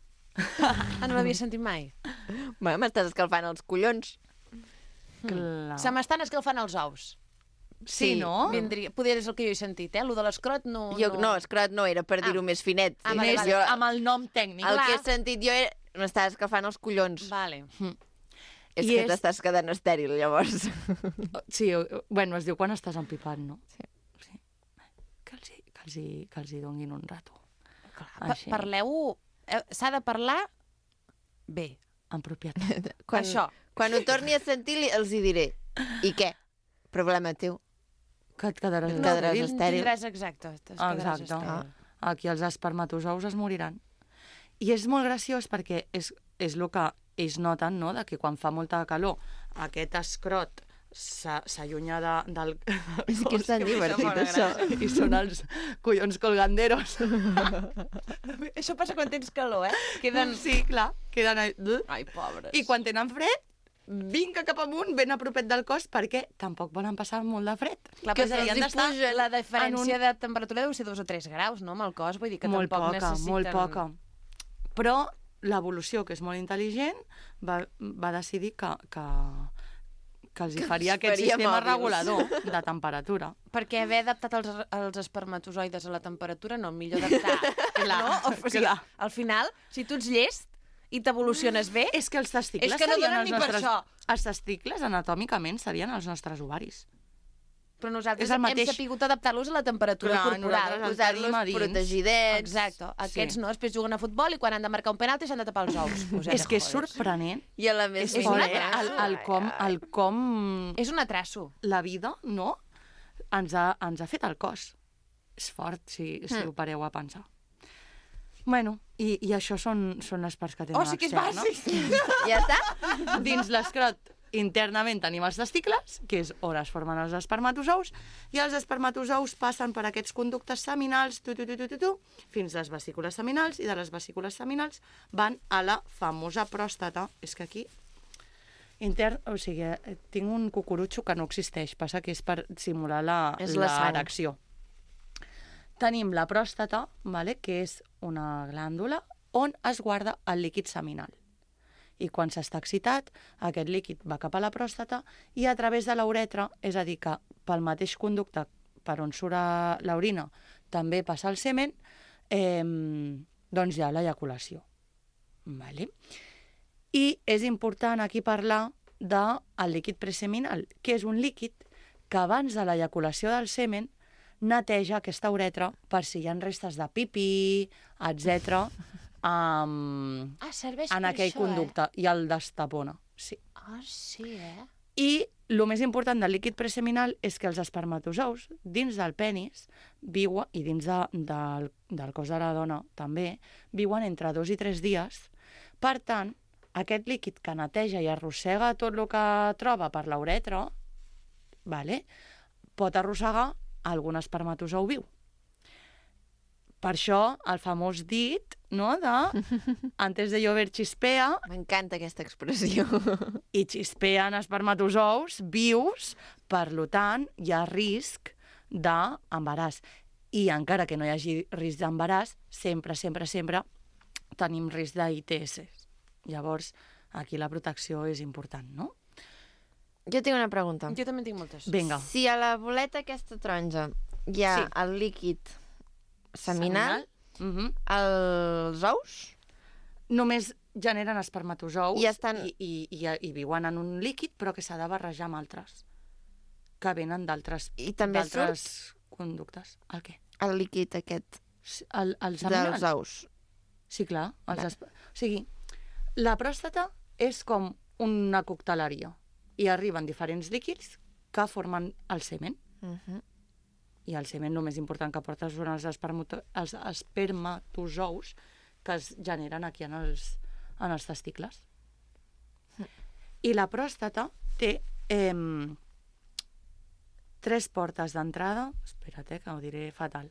Ah, no l'havia sentit mai. Bé, m'estàs escalfant els collons. Clar. Se m'estan escalfant els ous. Sí, Sí, no? Vindria, poder és el que jo he sentit, eh? Lo de l'escrot no... Jo, no, escrot no, era per dir-ho Ah. més finet. Ah, vale, Més vale. jo, Amb el nom tècnic. el clar. que he sentit jo era... M'estàs escalfant els collons. Vale. És I que és- t'estàs quedant estèril, llavors. Sí, o- bueno, es diu quan estàs empipat, no? Sí. Sí. Que els, hi- que els, hi, que els hi donguin un rato. Pa Així. Parleu... eh, S'ha de parlar bé. En propietat. Quan, Això. Quan ho torni a sentir, li- els hi diré. I què? Problema teu. Que et quedaràs Et quedaràs estèril. estèril. Tindràs exacte. et quedaràs Exacte. estèril. Aquí els espermatozous es moriran. I és molt graciós perquè és, és el que ells noten, no?, de que quan fa molta calor aquest escrot s'ha- s'allunya de, del... És que és tan divertit, això. I són els collons colganderos. Això passa quan tens calor, eh? Queden... Sí, clar, queden... Ahí. Ai, pobres. I quan tenen fred, vinga cap amunt, ben a propet del cos, perquè tampoc volen passar molt de fred. Clar, que però s'haurien els hi d'estar puja la diferència en de temperatura deu ser dos o tres graus, no?, amb el cos, vull dir que molt tampoc poca, necessiten... molt poca. Però l'evolució, que és molt intel·ligent, va, va decidir que, que, que els hi faria aquest faria sistema mòbils. regulador de temperatura. Perquè haver adaptat els, els espermatozoides a la temperatura, no, millor adaptar. Clar, no? O, o sigui, clar. al final, si tu ets llest, i t'evoluciones bé... És que els testicles És que no serien donen els ni per nostres... això. Els testicles, anatòmicament, serien els nostres ovaris. Però nosaltres És el hem mateix. sapigut adaptar-los a la temperatura Clar, corporal. nosaltres el Posar-los tenim a dins. protegidets. Exacte. Aquests Sí. no, després juguen a futbol i quan han de marcar un penalti s'han de tapar els ous. Us he És de que és joder. sorprenent. I a la més... És un fort, eh? atraso. El, el, com, el com És un atraso. la vida, no? Ens ha, ens ha fet el cos. És fort, si, si Hmm. ho pareu a pensar. Bueno, i, i això són, són les parts que tenen Oh, sí que és externa. bàsic! Ja està? Dins l'escrot, internament tenim els testicles, que és on es formen els espermatozous, i els espermatozous passen per aquests conductes seminals, tu, tu, tu, tu, tu, tu, fins a les vesícules seminals, i de les vesícules seminals van a la famosa pròstata. És que aquí intern, o sigui, eh, tinc un cucurutxo que no existeix, passa que és per simular la, És la sang. l'erecció. Tenim la pròstata, vale, que és una glàndula on es guarda el líquid seminal. I quan s'està excitat, aquest líquid va cap a la pròstata i a través de la uretra, és a dir, que pel mateix conducte per on surt l'orina també passa el semen, eh, doncs hi ha l'eyaculació. Vale? I és important aquí parlar del líquid preseminal, que és un líquid que abans de l'eyaculació del semen neteja aquesta uretra per si hi ha restes de pipí, etcètera, um, Ah, serveix en per aquell això, conducte, i el destapona. Sí. Eh? Ah, sí, eh? I el més important del líquid preseminal és que els espermatozous, dins del penis, viuen, i dins de, del, del cos de la dona també, viuen entre dos i tres dies. Per tant, aquest líquid que neteja i arrossega tot el que troba per la uretra, vale, pot arrossegar algun espermatozou viu. Per això, el famós dit, no?, de antes de llover chispea, M'encanta aquesta expressió. i xispeen espermatozous vius, per tant, hi ha risc d'embaràs. I encara que no hi hagi risc d'embaràs, sempre, sempre, sempre tenim risc d'I T S. Llavors, aquí la protecció és important, no? Jo tinc una pregunta. Jo també en tinc moltes. Vinga. Si a la boleta aquesta taronja hi ha Sí. el líquid seminal, Mhm. els ous, Només generen espermatozous I estan- i, i, i, i viuen en un líquid, però que s'ha de barrejar amb altres, que venen d'altres i també d'altres conductes. El què? el líquid aquest El, el seminal? dels ous. Sí, clar. Els Va. esp... O sigui, la pròstata és com una cocteleria i arriben diferents líquids que formen el semen. Uh -huh. I el semen, el més important que porta són els, espermato... els espermatozous que es generen aquí en els, en els testicles. I la pròstata té eh, tres portes d'entrada, espera't, eh, que ho diré fatal,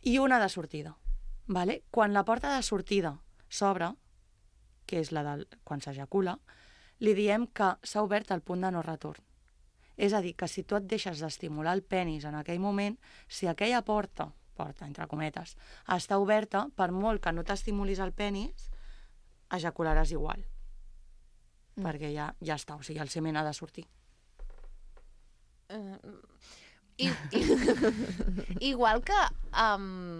i una de sortida. Vale? Quan la porta de sortida s'obre, que és la del, quan s'ejacula, li diem que s'ha obert el punt de no retorn. És a dir, que si tu et deixes d'estimular el penis en aquell moment, si aquella porta, porta entre cometes, està oberta, per molt que no t'estimulis el penis, ejacularàs igual. Mm. Perquè ja, ja està, o sigui, el semen ha de sortir. Uh, i, i, igual que um,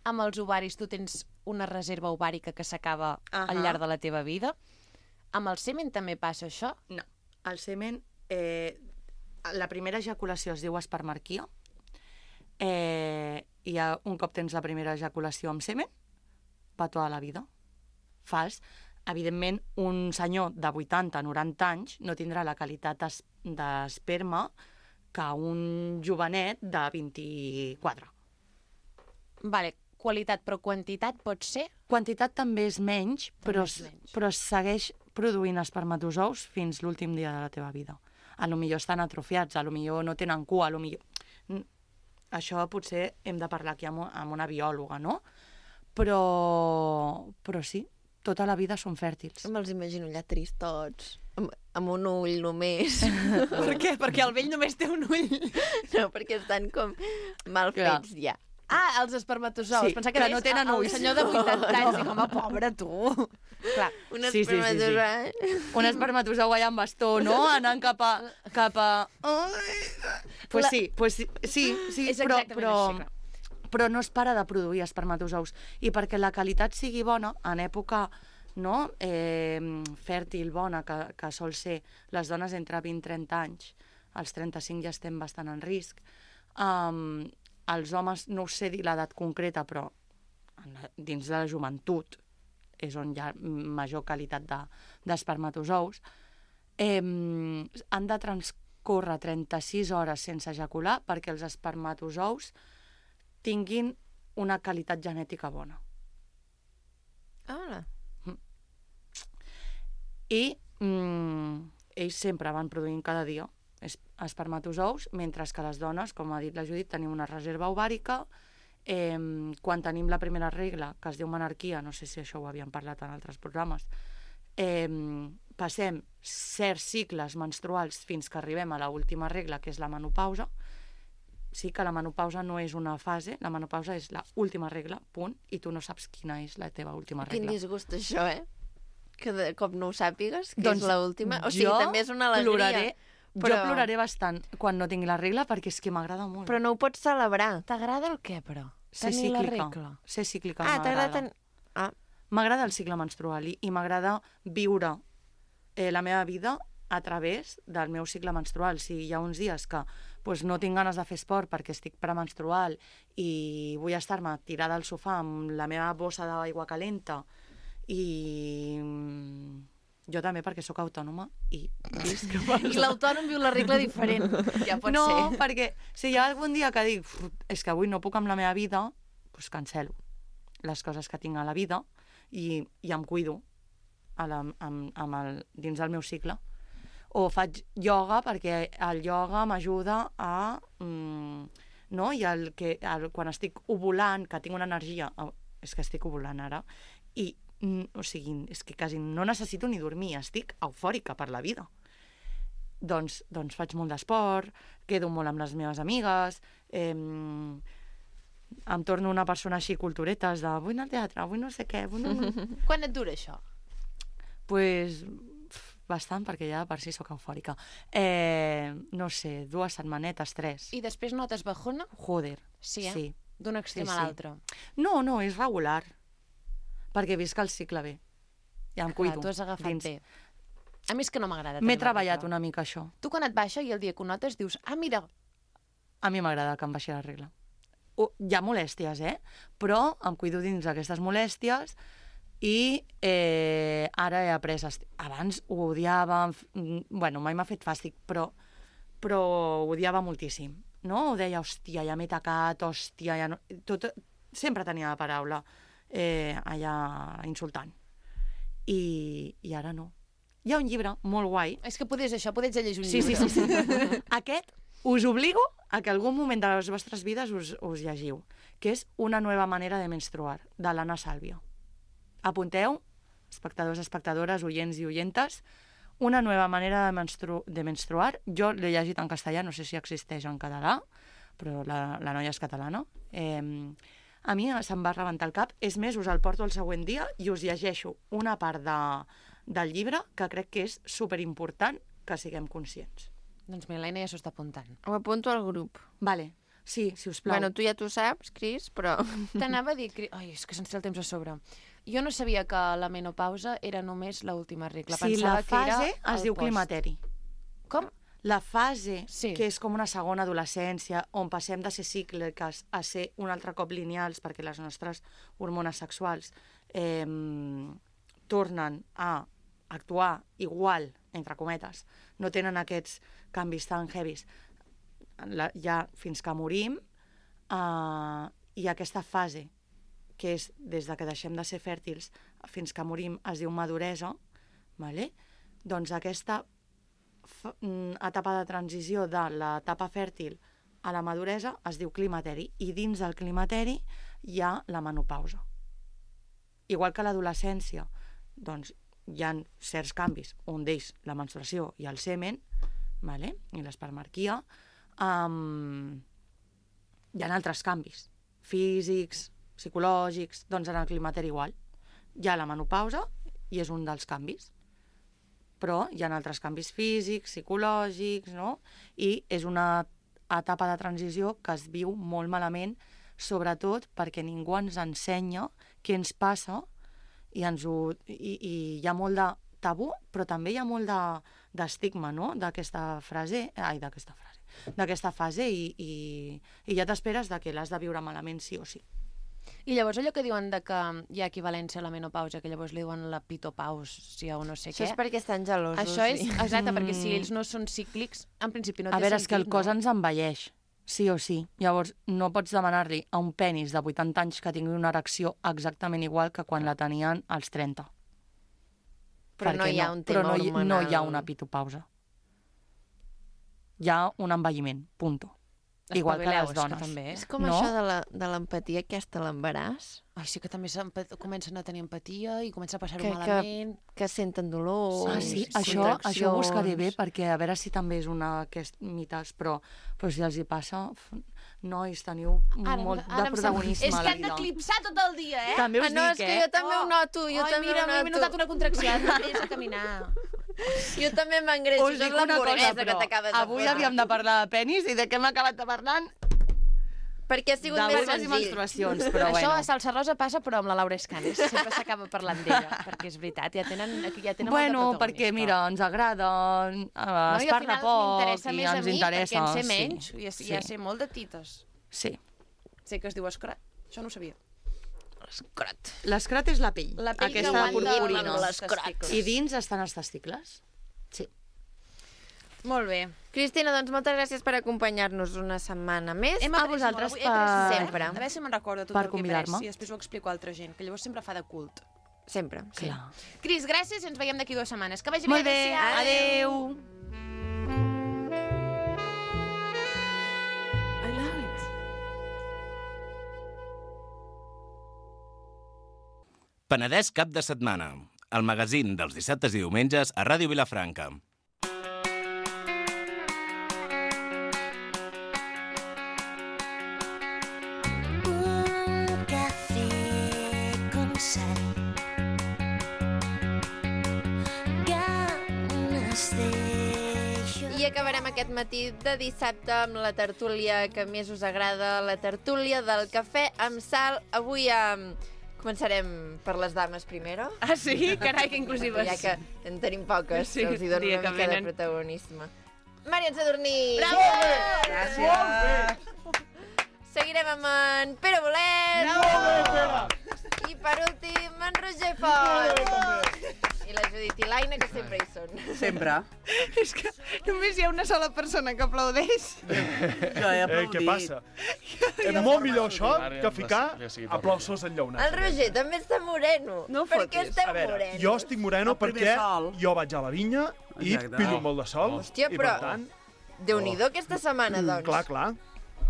amb els ovaris tu tens una reserva ovàrica que s'acaba Ahà. al llarg de la teva vida, amb el semen també passa això? No. El semen, eh, la primera ejaculació es diu espermarquia, eh, i ja, un cop tens la primera ejaculació amb semen, va tota la vida. Fals. Evidentment, un senyor de vuitanta noranta anys no tindrà la qualitat es- d'esperma que un jovenet de vint-i-quatre. Vale, qualitat però quantitat pot ser? Quantitat també és menys, però, és menys. però segueix produint espermatozous fins l'últim dia de la teva vida. A lo millor estan atrofiats, a lo millor no tenen cua, a lo millor... Mm, Això potser hem de parlar aquí amb, amb una biòloga, no? Però, però sí, tota la vida són fèrtils. Me'ls imagino allà tristots, amb, amb un ull només. Per què? Perquè el vell només té un ull. No, perquè estan com mal Clar. fets ja. Ah, els espermatozous. Sí, Pensava que que, no deies tenen el ulls. senyor de vuitanta anys. Dic, home, pobre tu. Clar. Un Sí, sí, sí, sí. espermatozou. Un espermatozou allà amb bastó, no? Anant cap a... Cap a... Pues La- sí, pues sí, sí, sí És però, exactament però, així, clar. però no es para de produir espermatozous. I perquè la qualitat sigui bona, en època no? eh, fèrtil, bona, que, que sol ser les dones entre vint i trenta anys, als trenta-cinc ja estem bastant en risc. Um, els homes, no us sé dir l'edat concreta, però en la, dins de la joventut és on hi ha major qualitat de, d'espermatozous, eh, han de transcórrer trenta-sis hores sense ejacular perquè els espermatozous tinguin una qualitat genètica bona. Ah, I mm, ells sempre van produint cada dia es- espermatozous, mentre que les dones, com ha dit la Judit, tenim una reserva ovàrica. Eh, quan tenim la primera regla, que es diu menarquia, no sé si això ho havíem parlat en altres programes, eh, passem certs cicles menstruals fins que arribem a l'última regla, que és la menopausa. Sí que la menopausa no és una fase, la menopausa és la última regla, punt, i tu no saps quina és la teva última quin regla. disgust això, eh? Que de cop no ho sàpigues, que Doncs és l'última. O sigui, jo també és una alegria. Ploraré, però- Jo ploraré bastant quan no tingui la regla perquè és que m'agrada molt. Però no ho pots celebrar. T'agrada el què, però? Ser Tenir la cíclica. regla. Ser cíclica Ah, t'agrada... m'agrada. Ten... Ah, M'agrada el cicle menstrual i, i m'agrada viure eh, la meva vida a través del meu cicle menstrual. Si hi ha uns dies que pues, no tinc ganes de fer esport perquè estic premenstrual i vull estar-me tirada al sofà amb la meva bossa d'aigua calenta i mm, jo també perquè sóc autònoma i visc I l'autònom viu la regla diferent. Ja pot no, ser. perquè si hi ha algun dia que dic "Uf, és que avui no puc amb la meva vida, doncs cancelo les coses que tinc a la vida i, i em cuido a la, amb, amb el, dins del meu cicle. O faig ioga perquè el ioga m'ajuda a... Mm, no? I el que, el, quan estic ovulant, que tinc una energia... Oh, és que estic ovulant ara, i mm, o sigui, és que quasi no necessito ni dormir, estic eufòrica per la vida. Doncs, doncs faig molt d'esport, quedo molt amb les meves amigues, eh, em torno una persona així culturetes de vull anar al teatre, vull no sé què, vull no... Quan et dura això? pues, pf, bastant, perquè ja per si sóc eufòrica. Eh, no sé, dues setmanetes, tres. I després notes bajona? Joder. Sí, eh? Sí. D'un extrem Sí, a sí. l'altre. No, no, és regular. Perquè visc el cicle bé. Ja em cuido. Clar, tu has agafat dins. bé. A mi és que no m'agrada. M'he tenir la treballat regla. una mica això. Tu quan et baixa i el dia que ho notes dius, ah, mira, A mi m'agrada que em baixi la regla. O, hi ha molèsties, eh? Però em cuido dins d'aquestes molèsties i eh, ara he après... Est... Abans ho odiava, em f- mm, bueno, mai m'ha fet fàstic, però, però ho odiava moltíssim, no? Ho deia, hòstia, ja m'he tacat, hòstia, ja no... Tot, sempre tenia la paraula eh, allà insultant. I, I ara no. Hi ha un llibre molt guai. és que podés això, podés llegir un Sí, sí, llibre. sí, sí. Aquest us obligo a que algun moment de les vostres vides us, us llegiu, que és Una nueva manera de menstruar, de l'Anna Sàlvia. Apunteu, espectadors, espectadores, oients i oyentes, Una nueva manera de, menstru de menstruar. Jo l'he llegit en castellà, no sé si existeix en català, però la, la noia és catalana. Eh, a mi se'm va rebentar el cap. És més, us el porto el següent dia i us llegeixo una part de, del llibre que crec que és superimportant que siguem conscients. Doncs mira, l'Eina ja s'ho està apuntant. ho apunto al grup. Vale, sí, si us plau. Bueno, tu ja t'ho saps, Cris, però... T'anava a dir... Cri- Ai, és que se'ns té el temps a sobre. Jo no sabia que la menopausa era només l'última regla. sí, Pensava la fase que era es el diu post. climateri. Com? La fase, Sí. que és com una segona adolescència, on passem de ser cícliques a ser un altre cop lineals, perquè les nostres hormones sexuals eh, tornen a actuar igual, entre cometes, no tenen aquests canvis tan heavies la, ja fins que morim, eh, i aquesta fase, que és des de que deixem de ser fèrtils fins que morim, es diu maduresa, vale? Doncs aquesta f- mm, etapa de transició de l'etapa fèrtil a la maduresa es diu climateri, i dins del climateri hi ha la menopausa. Igual que l'adolescència, doncs hi ha certs canvis, un d'ells la menstruació i el semen, vale? I l'espermarquia, um, hi ha altres canvis físics, psicològics, doncs en el climateri igual. Hi ha la menopausa i és un dels canvis, però hi ha altres canvis físics, psicològics, no? I és una etapa de transició que es viu molt malament, sobretot perquè ningú ens ensenya què ens passa i, ens ho, i, i hi ha molt de tabú, però també hi ha molt d'estigma, no?, d'aquesta frase, ai, d'aquesta frase, d'aquesta fase, i, i, i ja t'esperes de que l'has de viure malament sí o sí. I llavors allò que diuen de que hi ha equivalència a la menopausa, que llavors li diuen la pitopausia o no sé Això què. és perquè estan gelosos. Això és, sí. exacte, perquè si ells no són cíclics, en principi no té A veure, sentit, és que el cos no? ens envelleix, sí o sí. Llavors, no pots demanar-li a un penis de vuitanta anys que tingui una erecció exactament igual que quan la tenien als trenta. Però no Perquè hi ha un tema però no hi, hormonal. no hi ha una pitopausa. Hi ha un envelliment, punto. Igual que Espavileu, les és que dones. també. És com No? això de la- de l'empatia aquesta a l'embaràs, Ai, sí que també s'empa- comencen a tenir empatia i comencen a passar-ho Que- que- malament. que senten dolor... Ah, sí? sí, Això, això ho buscaré bé, contraccions. perquè a veure si també és una d'aquests mites, però, però si els hi passa, f- nois, teniu Ara- molt ara de em protagonisme És a que la han vida. d'eclipsar tot el dia, eh? També us Ah, no, dic, és que eh? jo també ho noto, jo Ai, també mira, ho m'he noto. notat una contracció, és a caminar. Jo també m'engreixo, Us això dic és una cosa, l'hamburguesa que però t'acabes de avui fotre. havíem de parlar de penis i de què hem acabat de parlant? Perquè ha sigut De més vulves i senzill. menstruacions, però Això bueno. a Salsa Rosa passa, però amb la Laura Escanes. Sempre s'acaba parlant d'ella, perquè és veritat, ja tenen, ja tenen Bueno, molt de perquè, protagonista. mira, ens agrada, eh, No, es i al parla final poc m'interessa i més a ens mi, interessa. perquè en sé sí, menys, i ja, sí, ja sé molt de tites. sí. Sé que es diu escrat, això no ho sabia. Escrat. L'escrat és la pell, La pell que aquesta aguanta purpurina. amb l'escrat. I dins estan els testicles. Sí. Molt bé. Cristina, doncs moltes gràcies per acompanyar-nos una setmana més. Hem A après vosaltres molt avui, he après per- molt. Sempre. A veure si me'n recordo tot per el que he après convidar-me. i després ho explico a altra gent, que llavors sempre fa de cult. Sempre, sí. Clar. Cris, gràcies i ens veiem d'aquí dues setmanes. Que vagi Molt bé, bé, adéu. adéu. Penedès cap de setmana. El magazín dels dissabtes i diumenges a Ràdio Vilafranca. Un café con sal. Ganas de I acabarem aquest matí de dissabte amb la tertúlia que més us agrada, la tertúlia del cafè amb sal. Avui um, començarem per les dames primero, Ah, sí? Carai, que inclusives. ja que en tenim poques, Sí, els hi dono dia una que mica de venen. protagonisme. Marian Sadurní! Bravo! Gràcies. Seguirem amb en Pere Bolet! I per últim, en Roger Font! I la Judit i l'Aina, que sempre hi són. Sempre. És que només hi ha una sola persona que aplaudeix. Jo he Eh, aplaudit. què passa? És molt millor això que ficar aplausos El enllaunats. Roger també està moreno. No per fotis. què estem A veure, morenos? jo estic moreno El primer perquè sol. jo vaig a la vinya i Exacte. pillo molt de sol. Hòstia, i però- per tant, Déu-n'hi-do aquesta setmana, doncs. clar, clar.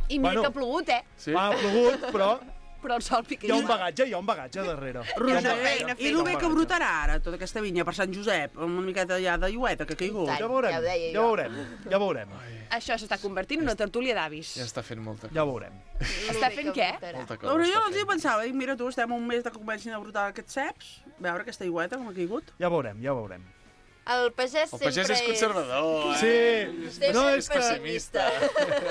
I mira Bueno. que ha plogut, eh? Sí? Ha plogut, però Però el sol pica. hi ha un bagatge, hi ha un bagatge darrere. Roger, Hi ha un i el bé que bagatge. brotarà ara, tota aquesta vinya per Sant Josep, amb una miqueta ja de llueta que ha caigut. I tant. Ja veurem, Ja ho deia ja jo. veurem, ja veurem, Això s'està convertint en una tertúlia d'avis. Ja està fent molta, ja veurem. Està fent què? molta cosa. Però jo està els hi fent. pensava, dic, mira tu, estem un mes de que comencin a brotar aquests ceps, veure aquesta aigüeta com ha caigut. Ja veurem, ja veurem. El pagès El sempre pagès és conservador, Sí, eh? Vostè no, és és que, pessimista.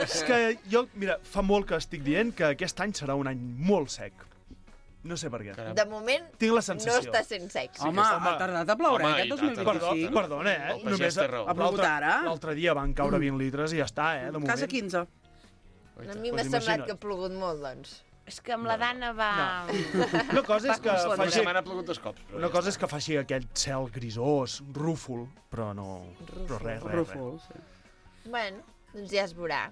és que jo, mira, fa molt que estic dient que aquest any serà un any molt sec. No sé per què. Caram. De moment, Tinc la no sensació. està sent sex. Home, ha tardat a ploure, Home, aquest i dos tant, mil Perdó, vint-i-cinc. perdona, eh? El pagès té raó. Ha plogut l'altre- ara. L'altre dia van caure vint litres i ja està, eh, de moment. Casa quinze. A mi m'ha Pues semblat imagina't. que ha plogut molt, doncs. És que amb la Dana va... Una cosa és que Va, Una faci... setmana ha plogut dos cops. però Una ja cosa està. és que faci aquell cel grisós, rúfol, però no... Però res, res, res. Rúfol, sí. Bueno, doncs ja es veurà.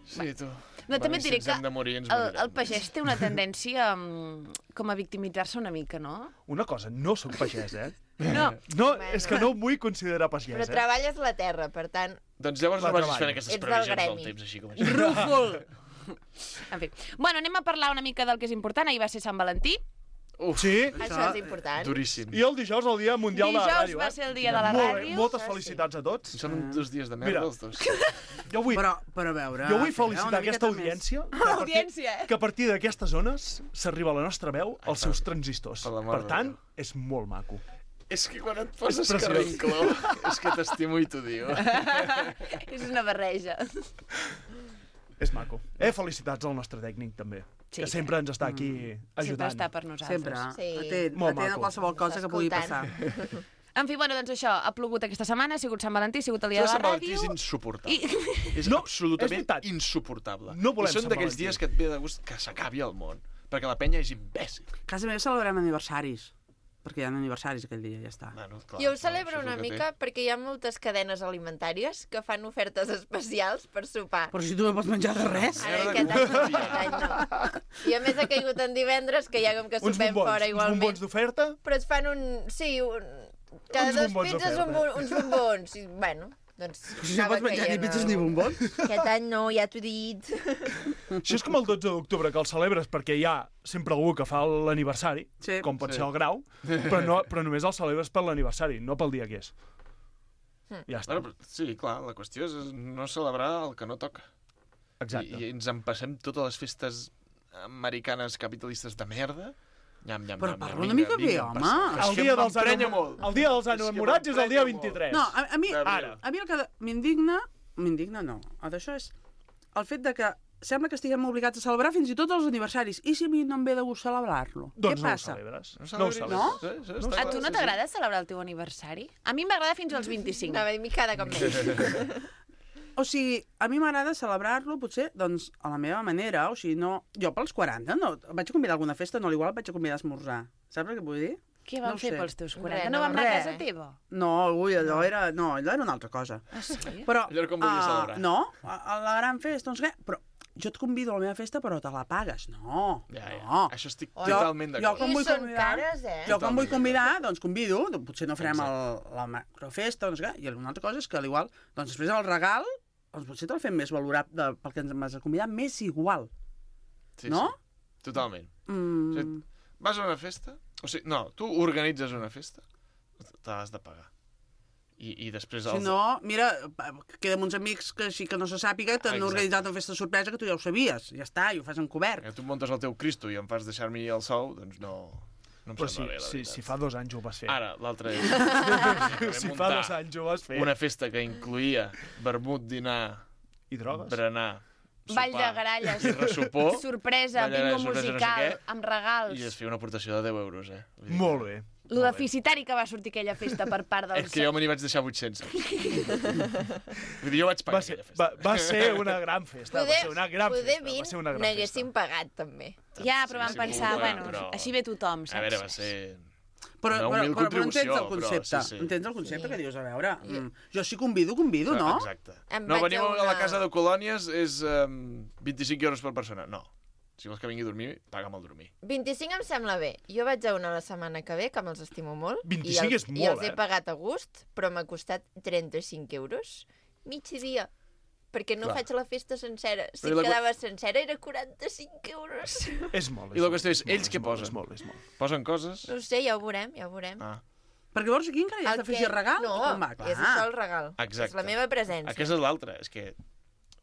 Sí, tu. No, també et diré si que ens hem de morir, ens el, morirem. el pagès té una tendència um, com a victimitzar-se una mica, no? Una cosa, no sóc pagès, eh? No. No, Bueno. és que no em vull considerar Però pagès, eh? treballes la terra, per tant... Doncs llavors La no vagis treballo. fent aquestes Ets del previsions del gremi. temps, així com així. Rúfol! En fi. Bueno, anem a parlar una mica del que és important. Ahir va ser Sant Valentí. Uf, Sí, Això és important. duríssim. i el dijous, el dia mundial de la Dijous ràdio, va eh? ser el dia de la Molt bé, ràdio. moltes això sí. felicitats a tots. Són dos dies de Mira. merda, els dos. Jo vull, Però, però a veure... jo vull eh, felicitar una aquesta miqueta més. audiència, que a partir, Audiència, eh? que a partir d'aquestes zones s'arriba la nostra veu als Ai, seus per- transistors. per la mare Per de tant, Déu. és molt maco. És que quan et poses preciós. carrincló, és que t'estimo i t'ho diu. És una barreja. És maco. Eh, felicitats al nostre tècnic, també. Sí, que sempre ens està aquí Sempre ajudant. està per nosaltres. Sempre. Sí. Atent, Molt atent a maco. qualsevol cosa que pugui Escoltant. passar. En fi, bueno, doncs això, ha plogut aquesta setmana, ha sigut Sant Valentí, ha sigut el dia Això de de Sant la Valentí és ràdio... insuportable. I... És No, absolutament és veritat. insuportable. No volem I són Sant d'aquells Valentí. dies que et ve de gust que s'acabi el món, perquè la penya és imbècil. A casa meva celebrem aniversaris, perquè hi ha aniversaris aquell dia, ja està. Bueno, clar, Jo ho no, celebro això és una el que té. mica perquè hi ha moltes cadenes alimentàries que fan ofertes especials per sopar. Però si tu no pots menjar de res. Ara, Merda, aquest que any, no, ho aquest any no. I a més ha caigut en divendres, que ja com que Uns sopem bombons, fora uns igualment. bombons d'oferta. Però es fan un... Sí, un... cada Uns dos bombons pizzas un, d'oferta. bo- uns bombons. I, bueno, doncs... Si no pots menjar ni pizzas ni bombons. Aquest any no, ja t'ho he dit. Això és com el dotze d'octubre, que el celebres perquè hi ha sempre algú que fa l'aniversari, Sí. com pot Sí. ser el Grau, però, no, però només el celebres per l'aniversari, no pel dia que és. Ja està. Bueno, però, sí, clar, la qüestió és no celebrar el que no toca. Exacte. I, I ens en passem totes les festes americanes capitalistes de merda. Nyam, nyam, Però nyam, parla nyam, una mica vinga, bé, vinga, home. passa. És El que dia, em dels emprenya enamo- molt. el dia dels És que enamorats és el dia m'emprenya vint-i-tres. No, a, a mi, D'abril. a mi el que m'indigna, m'indigna no, el d'això és el fet de que sembla que estiguem obligats a celebrar fins i tot els aniversaris. I si a mi no em ve de gust celebrar-lo? Doncs Què no passa? ho celebres. No, No ho celebris. celebres. Sí, sí, No està A clar, tu no sí, sí. t'agrada celebrar el teu aniversari? A mi m'agrada fins als vint-i-cinc. Anava a dir, cada cop més. O sigui, a mi m'agrada celebrar-lo, potser, doncs, a la meva manera. O sigui, no... Jo pels quaranta, no... Vaig a convidar a alguna festa, no, igual vaig a convidar a esmorzar. Saps el que vull dir? Què No van ho fer sé. pels teus quaranta? Res, No no, van anar a res. casa teva? No, ui, allò era... No, allò era una altra cosa. Ah, sí? Però, Allò era com volies ah, celebrar. No, a, a la gran festa, doncs què? Però jo et convido a la meva festa, però te la pagues. No, Ja, ja. no. Això estic Jo- totalment jo d'acord. com I vull són convidar- cares, eh? Jo quan vull Totalment convidar, doncs convido, doncs potser no farem el, Exacte. la macrofesta, doncs què? I una altra cosa és que, al igual, doncs després el regal, doncs potser te'l fem més valorable pel que ens vas a convidar, més igual. Sí, no? Sí, totalment. Mm. O sigui, vas a una festa? O sigui, no, tu organitzes una festa, te l'has de pagar. I, i després... Si Els... no, mira, pa- queden uns amics que així que no se sàpiga, t'han Exacte. organitzat una festa sorpresa que tu ja ho sabies. Ja està, i ho fas encobert. Que tu muntes el teu Cristo i em fas deixar-me el sou, doncs no, no em Però si, sembla bé, la si, veritat. si fa dos anys ho vas fer. Ara, l'altre és... si fa dos anys ho vas fer. Una festa que incluïa vermut, dinar, I drogues. berenar, Ball de sopar gralles. i ressupor, Sorpresa, Ball de bingo gralles, sorpresa, no sé musical, què. amb regals. i es feia una aportació de deu euros, eh? Vull dir Molt que- bé. Lo deficitari que va sortir aquella festa per part dels... És que jo me n'hi vaig deixar vuit-cents. Vull dir, jo vaig pagar Va ser, aquella festa. va, va ser una gran festa. va ser una gran poder festa. Va vint ser una gran n'haguéssim pagat, també. Ja, però vam Sí, sí, pensar, sí, bueno, però- així ve tothom, saps? A veure, va ser... Però, Una però, humil però, però entens contribució, el concepte, però sí, sí. entens el concepte Sí. que dius, a veure, mm, jo si convido, convido, no? Exacte. Em No, vaig veniu a a la una- casa de colònies, és um, vint-i-cinc euros per persona. No. Si vols que vingui a dormir, paga'm el dormir. vint-i-cinc em sembla bé. Jo vaig a una la setmana que ve, que me'ls estimo molt. vint-i-cinc i els, és molt, I els eh? he pagat a gust, però m'ha costat trenta-cinc euros. Mig dia. Perquè no Clar. faig la festa sencera. Si Però la- quedava sencera era quaranta-cinc euros. És molt. I la qüestió és, molt, ells què molt, posen? És molt, és molt. Posen coses? No ho sé, ja ho veurem, ja ho veurem. Ah, Perquè llavors aquí encara hi has El d'afegir que- regal? No, o com va? és això el regal. exacte. És la meva presència. Aquesta és l'altra. És que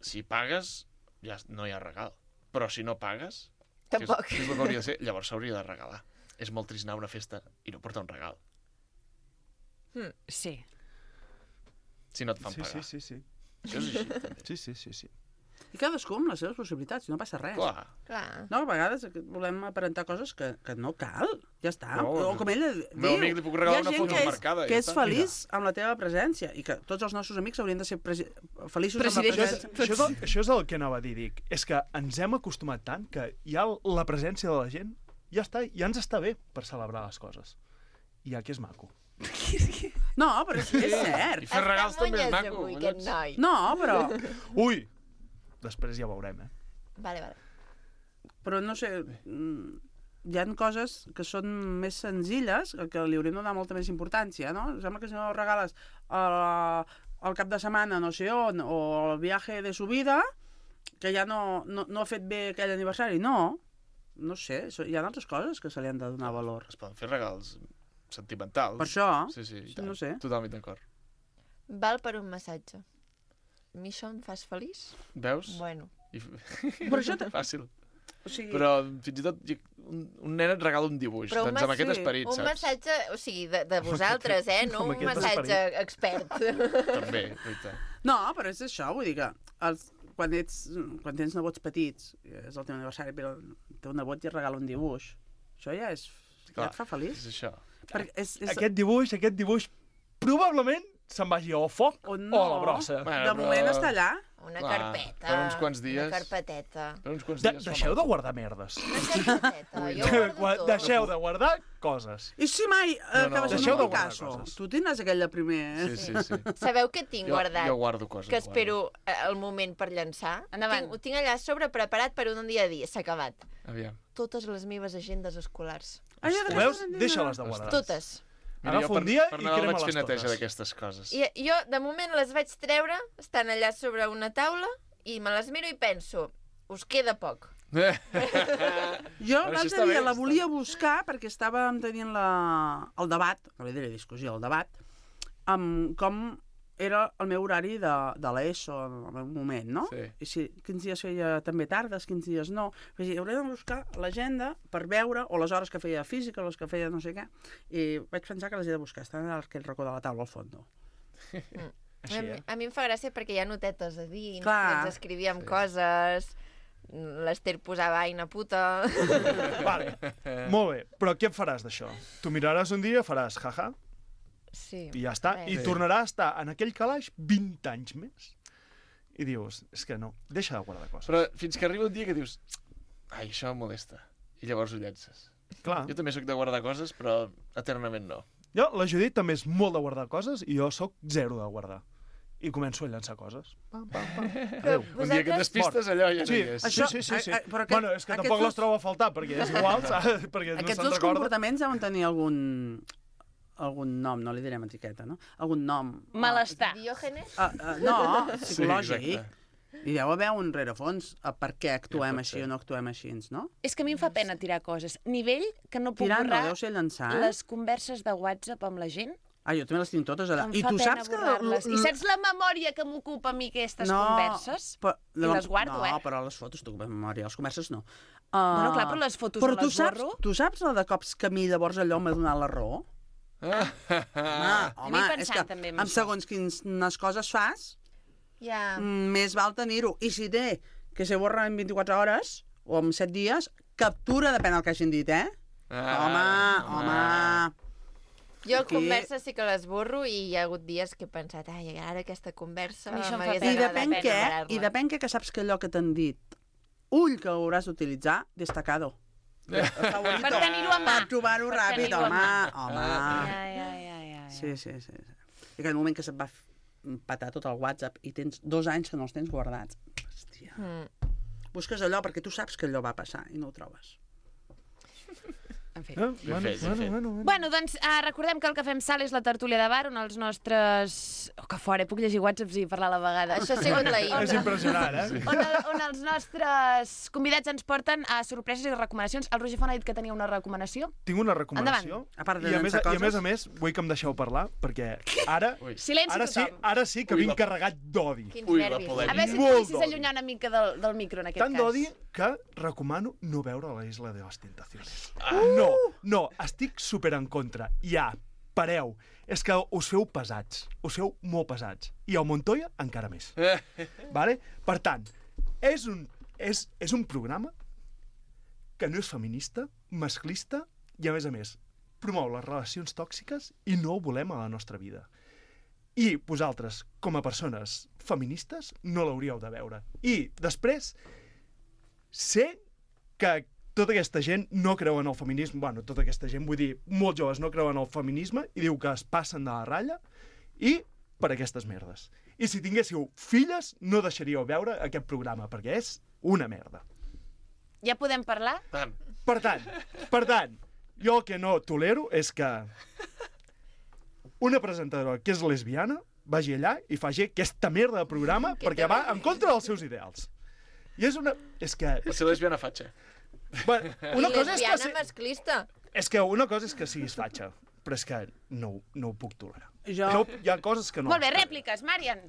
si pagues, ja no hi ha regal. Però si no pagues, que és, Tampoc. que és el que hauria de ser, llavors s'hauria de regalar. És molt trist anar a una festa i no portar un regal. Sí. Si no et fan Sí, pagar. sí, sí, sí. Això és així, també. Sí, sí, sí, sí. I cadascú amb les seves possibilitats, no passa res. Clar. Clar. No, a vegades volem aparentar coses que, que no cal, ja està. No, o com ella al diu, meu amic li puc regalar hi ha una gent foto que és, marcada, que ja és està. feliç amb la teva presència i que tots els nostres amics haurien de ser presi feliços Presideixos. amb la Això és, presència. això, és el, això és el que anava a dir, dic. És que ens hem acostumat tant que ja la presència de la gent ja està, ja ens està bé per celebrar les coses. I ja que és maco. No, però és, és cert. I fer regals també és Està maco. avui, aquest noi. No, però, Ui! Després ja veurem, eh? Vale, vale. però no sé, mm, hi ha coses que són més senzilles, que li hauríem de donar molta més importància, no? Em sembla que si no regales el, el cap de setmana no sé on, o el viatge de su vida, que ja no, no, no ha fet bé aquell aniversari, no. No sé, so- hi ha altres coses que se li han de donar valor. Es poden fer regals sentimentals. Per això, Sí, sí, i tant. no sé. Totalment d'acord. Val per un massatge. A mi això em fas feliç? Veus? Bueno. I... Però això te- Fàcil. O sigui, Però fins i tot hi- un, un nen et regala un dibuix. Però un doncs amb mas- aquest sí, esperit, Un saps? massatge, o sigui, de, de vosaltres, eh? No amb un aquest massatge expert. També, veritat. no, però és això, vull dir que els, quan, ets, quan tens nebots petits, és el teu aniversari, però té un nebot i es regala un dibuix. Això ja és... Clar, ja et fa feliç. És això. Perquè és, és... Aquest dibuix, aquest dibuix, probablement se'n vagi o al foc o, no. o a la brossa. Bueno, de moment però... està allà. Una Clar, carpeta. per uns quants dies. Una carpeteta. Per uns quants De, dies. deixeu de guardar merdes. Una carpeteta. Jo De- guardo tot. Deixeu de guardar coses. I si mai eh, No, no, acabes deixeu en de un guardar Picasso? coses. Tu tindràs aquell de primer. Sí, sí, sí. Sabeu què tinc Jo, guardat? jo guardo coses. Que espero eh, el moment per llançar. Endavant. Tinc, ho tinc allà a sobre preparat per un dia a dia. S'ha acabat. Guardo. Aviam. Totes les meves agendes escolars. Ah, ja Ho veus? Deixa-les de guardar. Totes. Mira, Agafa jo per, un dia per i Nadal vaig crema-les fer neteja totes. d'aquestes coses. I jo, de moment, les vaig treure, estan allà sobre una taula, i me les miro i penso, us queda poc. Jo Però això està l'altre dia bé, la està volia buscar perquè estàvem tenint la... el debat, no li diré discussió, el debat, amb com era el meu horari de, de l'ESO en el meu moment, no? Sí. I si quins dies feia també tardes, quins dies no. Vaig dir, hauré de buscar l'agenda per veure, o les hores que feia física, o les que feia no sé què, i vaig pensar que les he de buscar. Estan en aquell racó de la taula al fons. Mm. Així, a, eh? a mi em fa gràcia perquè hi ha notetes a dins, Clar. ens escrivíem sí. coses, l'Ester posava aina puta... Vale, molt bé. Però què faràs d'això? Tu miraràs un dia, faràs jaja, Sí. i ja està. Res. I tornarà a estar en aquell calaix vint anys més. I dius, és que no, deixa de guardar coses. Però fins que arriba un dia que dius, ai, això em molesta. I llavors ho llences. Clar. Jo també sóc de guardar coses, però eternament no. Jo, la Judit també és molt de guardar coses i jo sóc zero de guardar. I començo a llançar coses. Pam, pam, pam. Adéu. Un dia que et despistes, allò ja no Sí, hi és. sí, Això- sí, sí, sí. a- a- però aquest- Bueno, és que aquests tampoc dos- les trobo a faltar, perquè és igual, saps? Perquè no Aquests se'n dos recorda. comportaments deuen tenir algun algun nom, no li direm etiqueta, no? Algun nom. Malestar. Diògenes? Ah, ah, no, Sí, psicològic. exacte. I deu haver un rerefons a per què actuem pot així ser. o no actuem així, no? És que a mi em fa pena tirar coses. Nivell que no puc Tirar no, borrar deu ser llançar, eh? les converses de WhatsApp amb la gent. Ah, jo també les tinc totes allà. Em I fa tu pena saps que... borrar-les. I saps la memòria que m'ocupa a mi aquestes converses? Però, I les guardo, no, eh? No, però les fotos t'ocupen memòria, les converses no. Uh, Bueno, clar, però les fotos però no tu les saps, borro. tu saps la de cops que a mi llavors allò m'ha donat la raó? Ah. Ah, Jo home, m'he és pensat que també en amb això. segons quines coses fas, Ja. mm, més val tenir-ho. I si té que se borra en vint-i-quatre hores o en set dies, captura, depèn del que hagin dit, eh? Ah, home, home... Jo Aquí- converses sí que les borro i hi ha hagut dies que he pensat, ai, ara aquesta conversa A mi això em fa m'hagués pena. I agradat depèn què, enumerar-la. i depèn què, que saps que allò que t'han dit, ull que ho hauràs d'utilitzar, destacado. Favorito. Per tenir-ho a mà. Per trobar-ho Per ràpid, tenir-ho a home, mà. home. Ja, ja, ja, ja, ja. Sí, sí, sí. sí. I aquell moment que se't va f- patar tot el WhatsApp i tens dos anys que no els tens guardats. Hòstia. Mm. Busques allò perquè tu saps que allò va passar i no ho trobes. En fi. Eh? Bueno, fet, ben bueno, fet. bueno, bueno. Bueno, doncs uh, recordem que el que fem sal és la tertúlia de bar, on els nostres... Oh, que fora, puc llegir whatsapps i parlar a la vegada. Això ha sigut la És intro. impressionant, eh? On, el, on els nostres convidats ens porten a sorpreses i recomanacions. El Roger Font ha dit que tenia una recomanació. Tinc una recomanació. A part de I a, més, llançar I a més a coses. més, vull que em deixeu parlar, perquè ara, Ui. Silenci ara, sí, tothom. ara sí que Ui, vinc la- carregat d'odi. Quins Ui, la nervis. polèmica. A veure si et Molt poguessis d'odi. allunyar una mica del, del micro, en aquest Tant cas. d'odi que recomano no veure la Isla de les Tentaciones. No, no, estic super en contra. Ja, pareu. És que us feu pesats. Us feu molt pesats. I el Montoya encara més. Vale? Per tant, és un, és, és un programa que no és feminista, masclista i, a més a més, promou les relacions tòxiques i no ho volem a la nostra vida. I vosaltres, com a persones feministes, no l'hauríeu de veure. I després, sé que tota aquesta gent no creu en el feminisme, bueno, tota aquesta gent, vull dir, molts joves no creuen en el feminisme i diu que es passen de la ratlla i per aquestes merdes. I si tinguéssiu filles, no deixaríeu veure aquest programa, perquè és una merda. Ja podem parlar? Tant. Per tant, per tant, jo el que no tolero és que una presentadora que és lesbiana vagi allà i faci aquesta merda de programa perquè va en contra dels seus ideals. I és una... És que... Per ser lesbiana fatxa. Bueno, una I cosa és que... lesbiana si- masclista. És que una cosa és que siguis fatxa, però és que no, no ho puc tolerar. Jo- No, hi ha coses que no... Molt bé, rèpliques, Marian.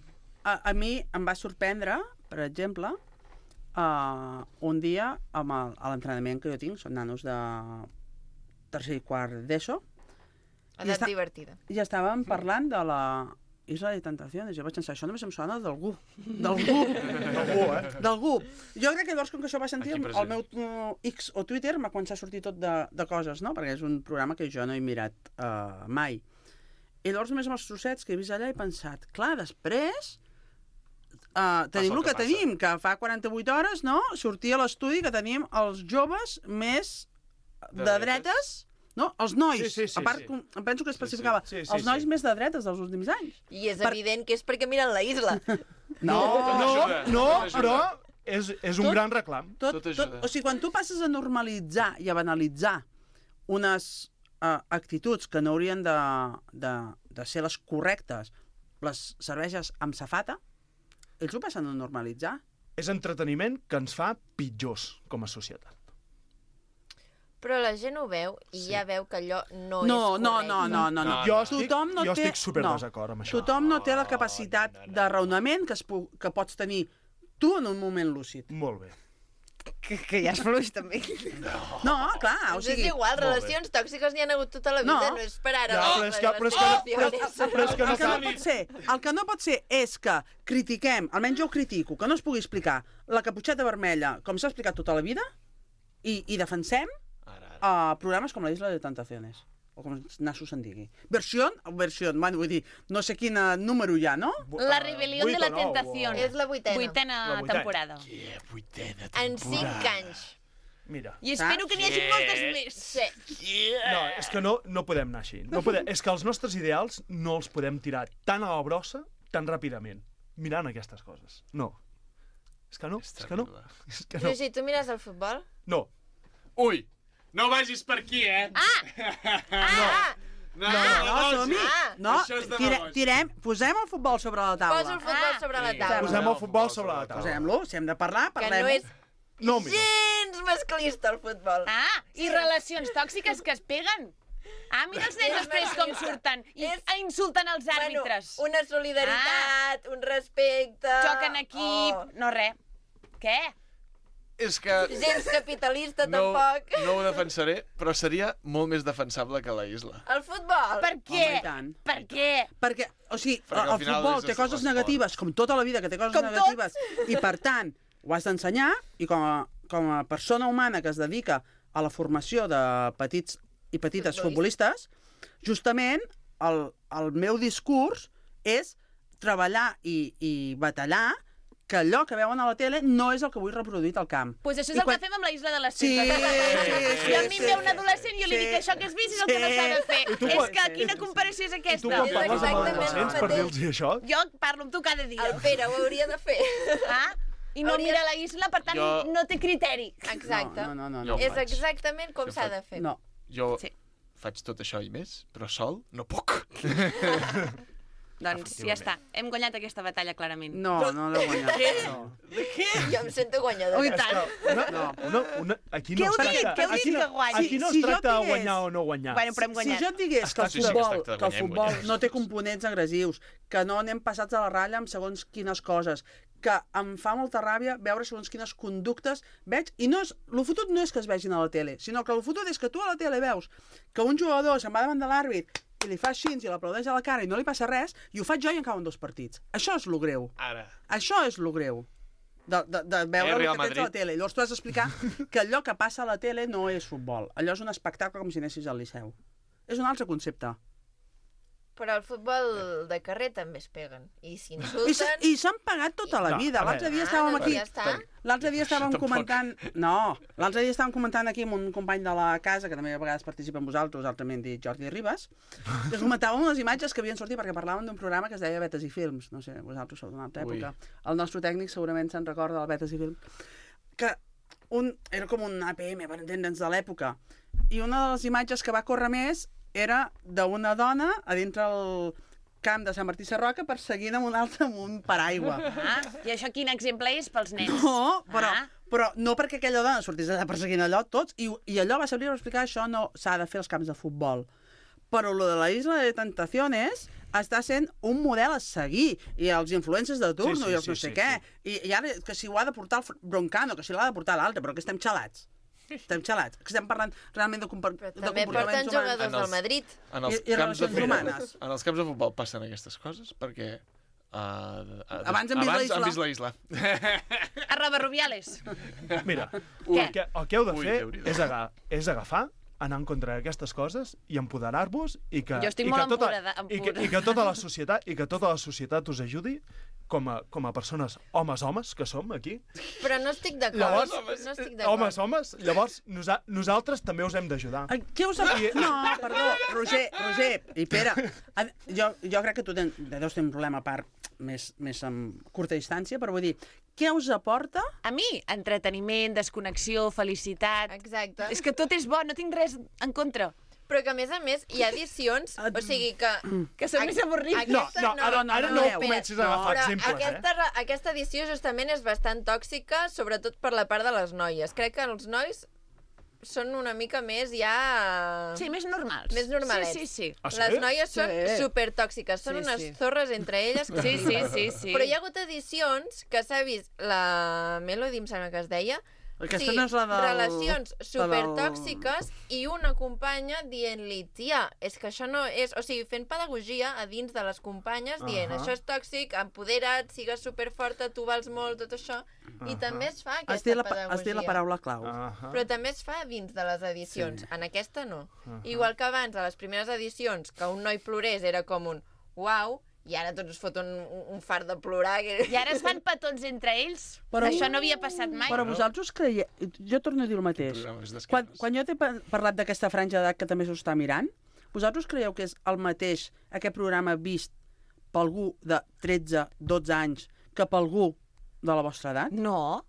A, a mi em va sorprendre, per exemple, uh, un dia amb el, a l'entrenament que jo tinc, són nanos de tercer i quart d'ESO, I Edat està- divertida. i estàvem parlant de la Isla de Tentaciones. Jo vaig pensar, això només em sona d'algú. D'algú. D'algú, eh? D'algú. Jo crec que llavors, com que això va sentir, el, el meu uh, X o Twitter m'ha començat a sortir tot de, de coses, no? Perquè és un programa que jo no he mirat uh, mai. I llavors només amb els trossets que he vist allà he pensat, clar, després uh, tenim el que, que tenim, que fa quaranta-vuit hores, no? Sortia a l'estudi que tenim els joves més de, de dretes, no? Els nois. Sí, sí, sí, a part, sí. Em penso que especificava sí, sí. Sí, sí, els nois sí. més de dretes dels últims anys. I és per... evident que és perquè miren la isla. No, no, no, però és, és un tot, gran reclam. Tot, tot, tot, o sigui, quan tu passes a normalitzar i a banalitzar unes uh, actituds que no haurien de, de, de ser les correctes, les cerveses amb safata, ells ho passen a normalitzar. És entreteniment que ens fa pitjors com a societat. Però la gent ho veu i sí. ja veu que allò no, no és correcte. No, no, no, no. no. Jo estic, no jo té, estic super no. desacord amb això. Tothom no té la capacitat oh, no, no. de raonament que, es pu que pots tenir tu en un moment lúcid. Molt bé. Que, que ja és fluix, també. No, no clar, o sigui... És igual, relacions tòxiques n'hi ha hagut tota la vida, no, no és per ara. Ja, no, però és que, però és que, però, però és que no, el que no pot ser, el que no pot ser és que critiquem, almenys jo ho critico, que no es pugui explicar la caputxeta vermella com s'ha explicat tota la vida i, i defensem a uh, programes com la Isla de Tentaciones, o com nassos se'n digui. Versió, versió, bueno, vull dir, no sé quin número hi ha, no? La rebel·lió de la tentació. És la vuitena. Vuitena la vuitena. temporada. Yeah, vuitena temporada. En cinc anys. Mira. I espero que n'hi hagi yeah. moltes més. Sí. Yeah. No, és que no, no podem anar així. No podem, és que els nostres ideals no els podem tirar tan a la brossa, tan ràpidament, mirant aquestes coses. No. És que no, és, és que no. És que no. Però si tu mires el futbol... No. Ui! No vagis per aquí, eh? Ah! Ah! No, no, no, no, som-hi. Ah! No, tire, tirem, posem el futbol sobre la taula. Posa el futbol sobre la taula. Posem el futbol sobre la taula. Posem-lo, si hem de parlar, parlem. Que no és no, gens masclista el futbol. Ah, i relacions tòxiques que es peguen. Ah, mira els nens després com surten i és... insulten els àrbitres. Bueno, una solidaritat, ah. un respecte... Joc en equip... Oh. No, res. Què? És que... Gens capitalista, no, tampoc. No ho defensaré, però seria molt més defensable que la isla. El futbol? Per què? Home, per què? Perquè, o sigui, Perquè el futbol té coses negatives, com tota la vida que té coses com negatives, tots. i per tant, ho has d'ensenyar, i com a, com a persona humana que es dedica a la formació de petits i petites futbolistes, justament el, el meu discurs és treballar i, i batallar que allò que veuen a la tele no és el que vull reproduir al camp. Doncs pues això és I el quan... que fem amb la Isla de les Tentacions. Sí, sí, sí, I a mi em ve un adolescent i jo li dic això que has vist és el que no s'ha de fer. Tu, és que quina comparació és aquesta? I tu quan parles amb adolescents per dir-los això? Jo parlo amb tu cada dia. El Pere ho hauria de fer. Ah? I no hauria... mira la isla, per tant, jo... no té criteri. Exacte. No, no, no, no. És exactament com s'ha de fer. No. Jo sí. faig tot això i més, però sol no puc. Doncs ja està, hem guanyat aquesta batalla clarament. No, no l'he guanyat. Què? No. De què? Jo em sento guanyadora. Ui, tant. Una, no. una, una, aquí no què es tracta, què aquí no, que aquí no es si, si tracta de digués, guanyar o no guanyar. Bueno, però hem guanyat. Si jo et digués que el sí, sí, futbol, que, que el futbol no té components agressius, que no anem passats a la ratlla amb segons quines coses, que em fa molta ràbia veure segons quines conductes veig, i no és, el fotut no és que es vegin a la tele, sinó que el fotut és que tu a la tele veus que un jugador se'n va davant de l'àrbit i li fa així i l'aplaudeix a la cara i no li passa res, i ho faig jo i en cauen dos partits. Això és lo greu. Ara. Això és lo greu. De, de, de veure el que tens a la tele. I llavors tu has d'explicar que allò que passa a la tele no és futbol. Allò és un espectacle com si anessis al Liceu. És un altre concepte. Però al futbol de carrer també es peguen. I s'insulten... I s'han pagat tota la vida. L'altre dia estàvem aquí... L'altre dia estàvem comentant... No, l'altre dia estàvem comentant aquí amb un company de la casa, que també a vegades participa amb vosaltres, altrament dit Jordi Ribas, que us comentàvem unes imatges que havien sortit perquè parlàvem d'un programa que es deia Betes i Films. No sé, vosaltres sou d'una altra època. Ui. El nostre tècnic segurament se'n recorda del Betes i Films. Que un, era com un A P M, per entendre'ns, de l'època. I una de les imatges que va córrer més era d'una dona a dintre el camp de Sant Martí Sarroca perseguint amb un altre amb un paraigua. Ah, i això quin exemple és pels nens? No, però, ah. però no perquè aquella dona sortís allà perseguint allò tots, i, i allò va servir per explicar això no s'ha de fer als camps de futbol. Però lo de la Isla de Tentaciones està sent un model a seguir, i els influencers de turno, sí, sí, i els no sé sí, què, sí. I, i ara que si ho ha de portar el Broncano, que si l'ha de portar l'altre, però que estem xalats. estem xalats. Que estem parlant realment de, compor de També porten comportaments jugadors humans. del Madrid. En els, I- i camps de relacions futbol, humanes. en els camps de futbol passen aquestes coses, perquè... Uh, uh, Abans hem vist la abans isla. han vist la isla. Arroba Rubiales. Mira, Què? el que, el que heu de Ui, fer Déu-n'hi-do. és, aga és agafar, anar en contra d'aquestes coses i empoderar-vos i que, Jo estic i molt que tota, empodera- i que, i que tota la societat i que tota la societat us ajudi com a, com a persones homes-homes que som aquí. Però no estic d'acord. Llavors, No estic d'acord. homes, homes, llavors nosa nosaltres també us hem d'ajudar. Ai, Què us ha... No, perdó, Roger, Roger i Pere, a- jo, jo crec que tu ten, deus tenir un problema a part més, més amb curta distància, però vull dir, què us aporta? A mi, entreteniment, desconnexió, felicitat... Exacte. És que tot és bo, no tinc res en contra. Però que, a més a més, hi ha edicions... O sigui que... Que són més avorrits. No, no, ara, ara no, no, comencis a agafar Però exemples, aquesta, eh? aquesta edició justament és bastant tòxica, sobretot per la part de les noies. Crec que els nois són una mica més ja... Sí, més normals. Més normalets. Sí, sí, sí. Ah, sí? Les noies són Sí. supertòxiques, són Sí, unes sí. zorres entre elles que Sí, sí, flipes. sí, sí. Però hi ha hagut edicions que s'ha vist la Melody, em sembla que es deia, Aquesta no és la del- relacions la del- supertòxiques i una companya dient-li, tia, és que això no és... O sigui, fent pedagogia a dins de les companyes, dient, Ahà. això és tòxic, empodera't, sigues superforta, tu vals molt, tot això. I també es fa Has aquesta dit, la, pa- pedagogia. has dit la paraula clau. Ahà. Però també es fa dins de les edicions. Sí. En aquesta no. Igual que abans, a les primeres edicions, que un noi plorés era com un uau, i ara tots es foten un, un fart de plorar. Que... I ara es fan petons entre ells. Però- Això no havia passat mai. Però vosaltres creieu... Jo torno a dir el mateix. Programa és d'esquerres. Quan, quan jo t'he pa- parlat d'aquesta franja d'edat que també s'ho està mirant, vosaltres creieu que és el mateix aquest programa vist per algú de tretze, dotze anys que per algú de la vostra edat? No.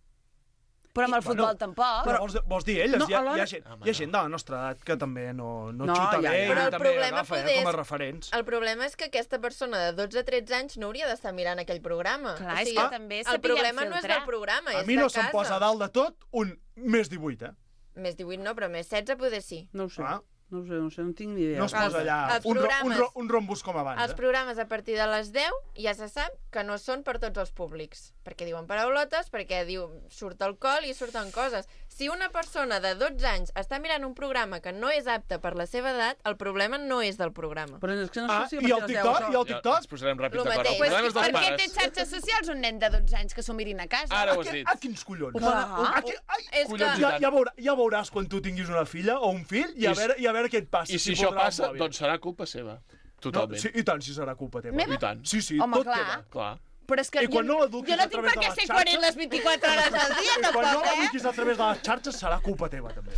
Però amb el futbol Bueno, tampoc. Però vols, vols dir elles? No, hi, ha, alhora- hi, ha gent, hi ha gent de la nostra edat que també no, no, No, xuta ja, bé ja. i Però el també problema agafa eh, poder com a és- referents. El problema és que aquesta persona de dotze a tretze anys no hauria d'estar mirant aquell programa. Clar, o és sigui, que també el sapiguem problema no és filtrar. del programa, A és mi no de se'm casa. posa a dalt de tot un més divuit, eh? Més divuit no, però més setze poder sí. No ho sé. Ah. No ho sé, no ho sé, no tinc ni idea. No es Els- posa allà els un, ro, un, programes- ro, un rombus com abans, Els eh? programes a partir de les deu ja se sap que no són per tots els públics, perquè diuen paraulotes, perquè diu surt alcohol i surten coses. Si una persona de dotze anys està mirant un programa que no és apte per la seva edat, el problema no és del programa. Però és que no Ah, sé si a i el partir de les TikTok? deu I el Ja, TikTok? ens posarem ràpid Lo d'acord. El mateix. problema és Per dels què té pares. xarxes socials un nen de dotze anys que s'ho mirin a casa? Ara ho has A, dit. a quins collons? Clar. Aquí, ai, És que... Collons. ja, ja, veurà, ja veuràs quan tu tinguis una filla o un fill i a I si- veure, i a veure què et passa. I si si això fotrà el passa, mòbil. doncs serà culpa seva. No, Totalment. sí, I tant, si serà culpa teva. Meva? I tant. Sí, sí, Home, tot clar. teva. Clar. Però és que I quan jo, no l'eduquis jo no a tinc través per de què les ser xarxes- coherent les vint-i-quatre hores al dia, I quan tampoc, no eh? l'eduquis a través de les xarxes serà culpa teva, també.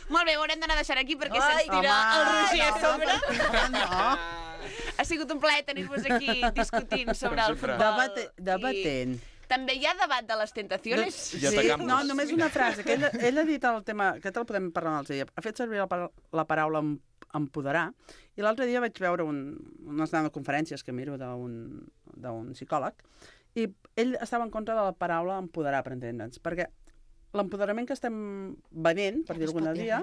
Molt bé, ho haurem d'anar deixant aquí perquè Ai, se'ns tira el Roger a no, sobre. no, no. Ha sigut un plaer tenir-vos aquí discutint sobre el sempre. futbol. Debate, debatent. I també hi ha debat de les tentacions. Ja sí, t'acabes. no, només una frase, que ell, ell ha dit el tema, aquest el podem parlar un altre dia, ha fet servir la, par- la paraula em- empoderar, i l'altre dia vaig veure un, unes conferències que miro d'un d'un psicòleg, i ell estava en contra de la paraula empoderar, per entendre'ns, perquè l'empoderament que estem venent, per dir alguna dia...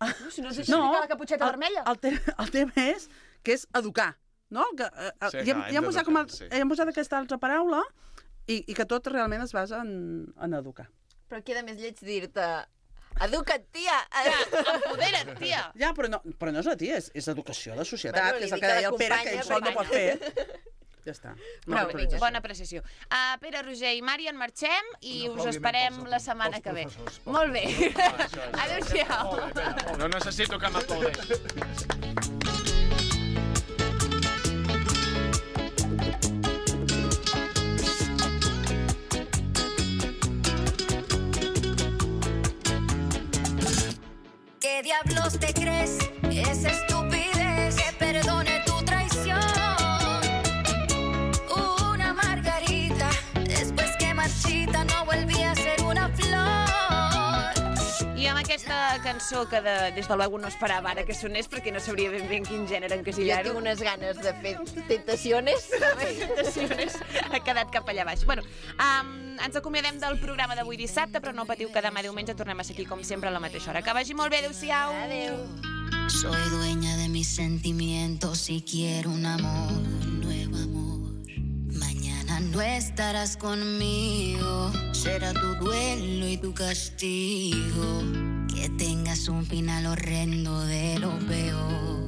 No, si no ens No, no, la caputxeta el, vermella. el, te el tema és que és educar, no? Que, eh, Sí, ja, clar, hem ja hem, posat com el, d'educar, sí. hem posat aquesta altra paraula i, i que tot realment es basa en, en educar. Però queda més lleig dir-te educa't, tia! Empodera't, tia. Ja, però no, però no és la tia, és, és educació de societat, Bueno, que és li el que dic a deia la el Pere, que companya, ell sol no companya. pot fer. Ja està. No, Prou, vinga. Bona apreciació. Uh, Pere, Roger i Mari, en marxem i Un us aplaudiment esperem pels- la setmana pels que ve. professors, pels Molt bé. això és. Adéu-siau. No necessito que m'aplaudeixi. ¿Qué diablos te crees? Esa estupidez que perdone tu traición. Una margarita, después que marchita no volví a ser una flor. I amb aquesta cançó que de, des de luego no esperava ara que sonés perquè no sabria ben bé en quin gènere Jo encasillar-ho. tinc unes ganes de fer tentaciones. Tentaciones ha quedat cap allà baix. Bueno, um, ens acomiadem del programa d'avui dissabte, però no patiu que demà diumenge tornem a ser aquí com sempre a la mateixa hora. Que vagi molt bé, adéu-siau. Adéu. Soy dueña de mis sentimientos y quiero un amor, un nuevo amor. Mañana no estarás conmigo, será tu duelo y tu castigo. es un final horrendo de lo peor.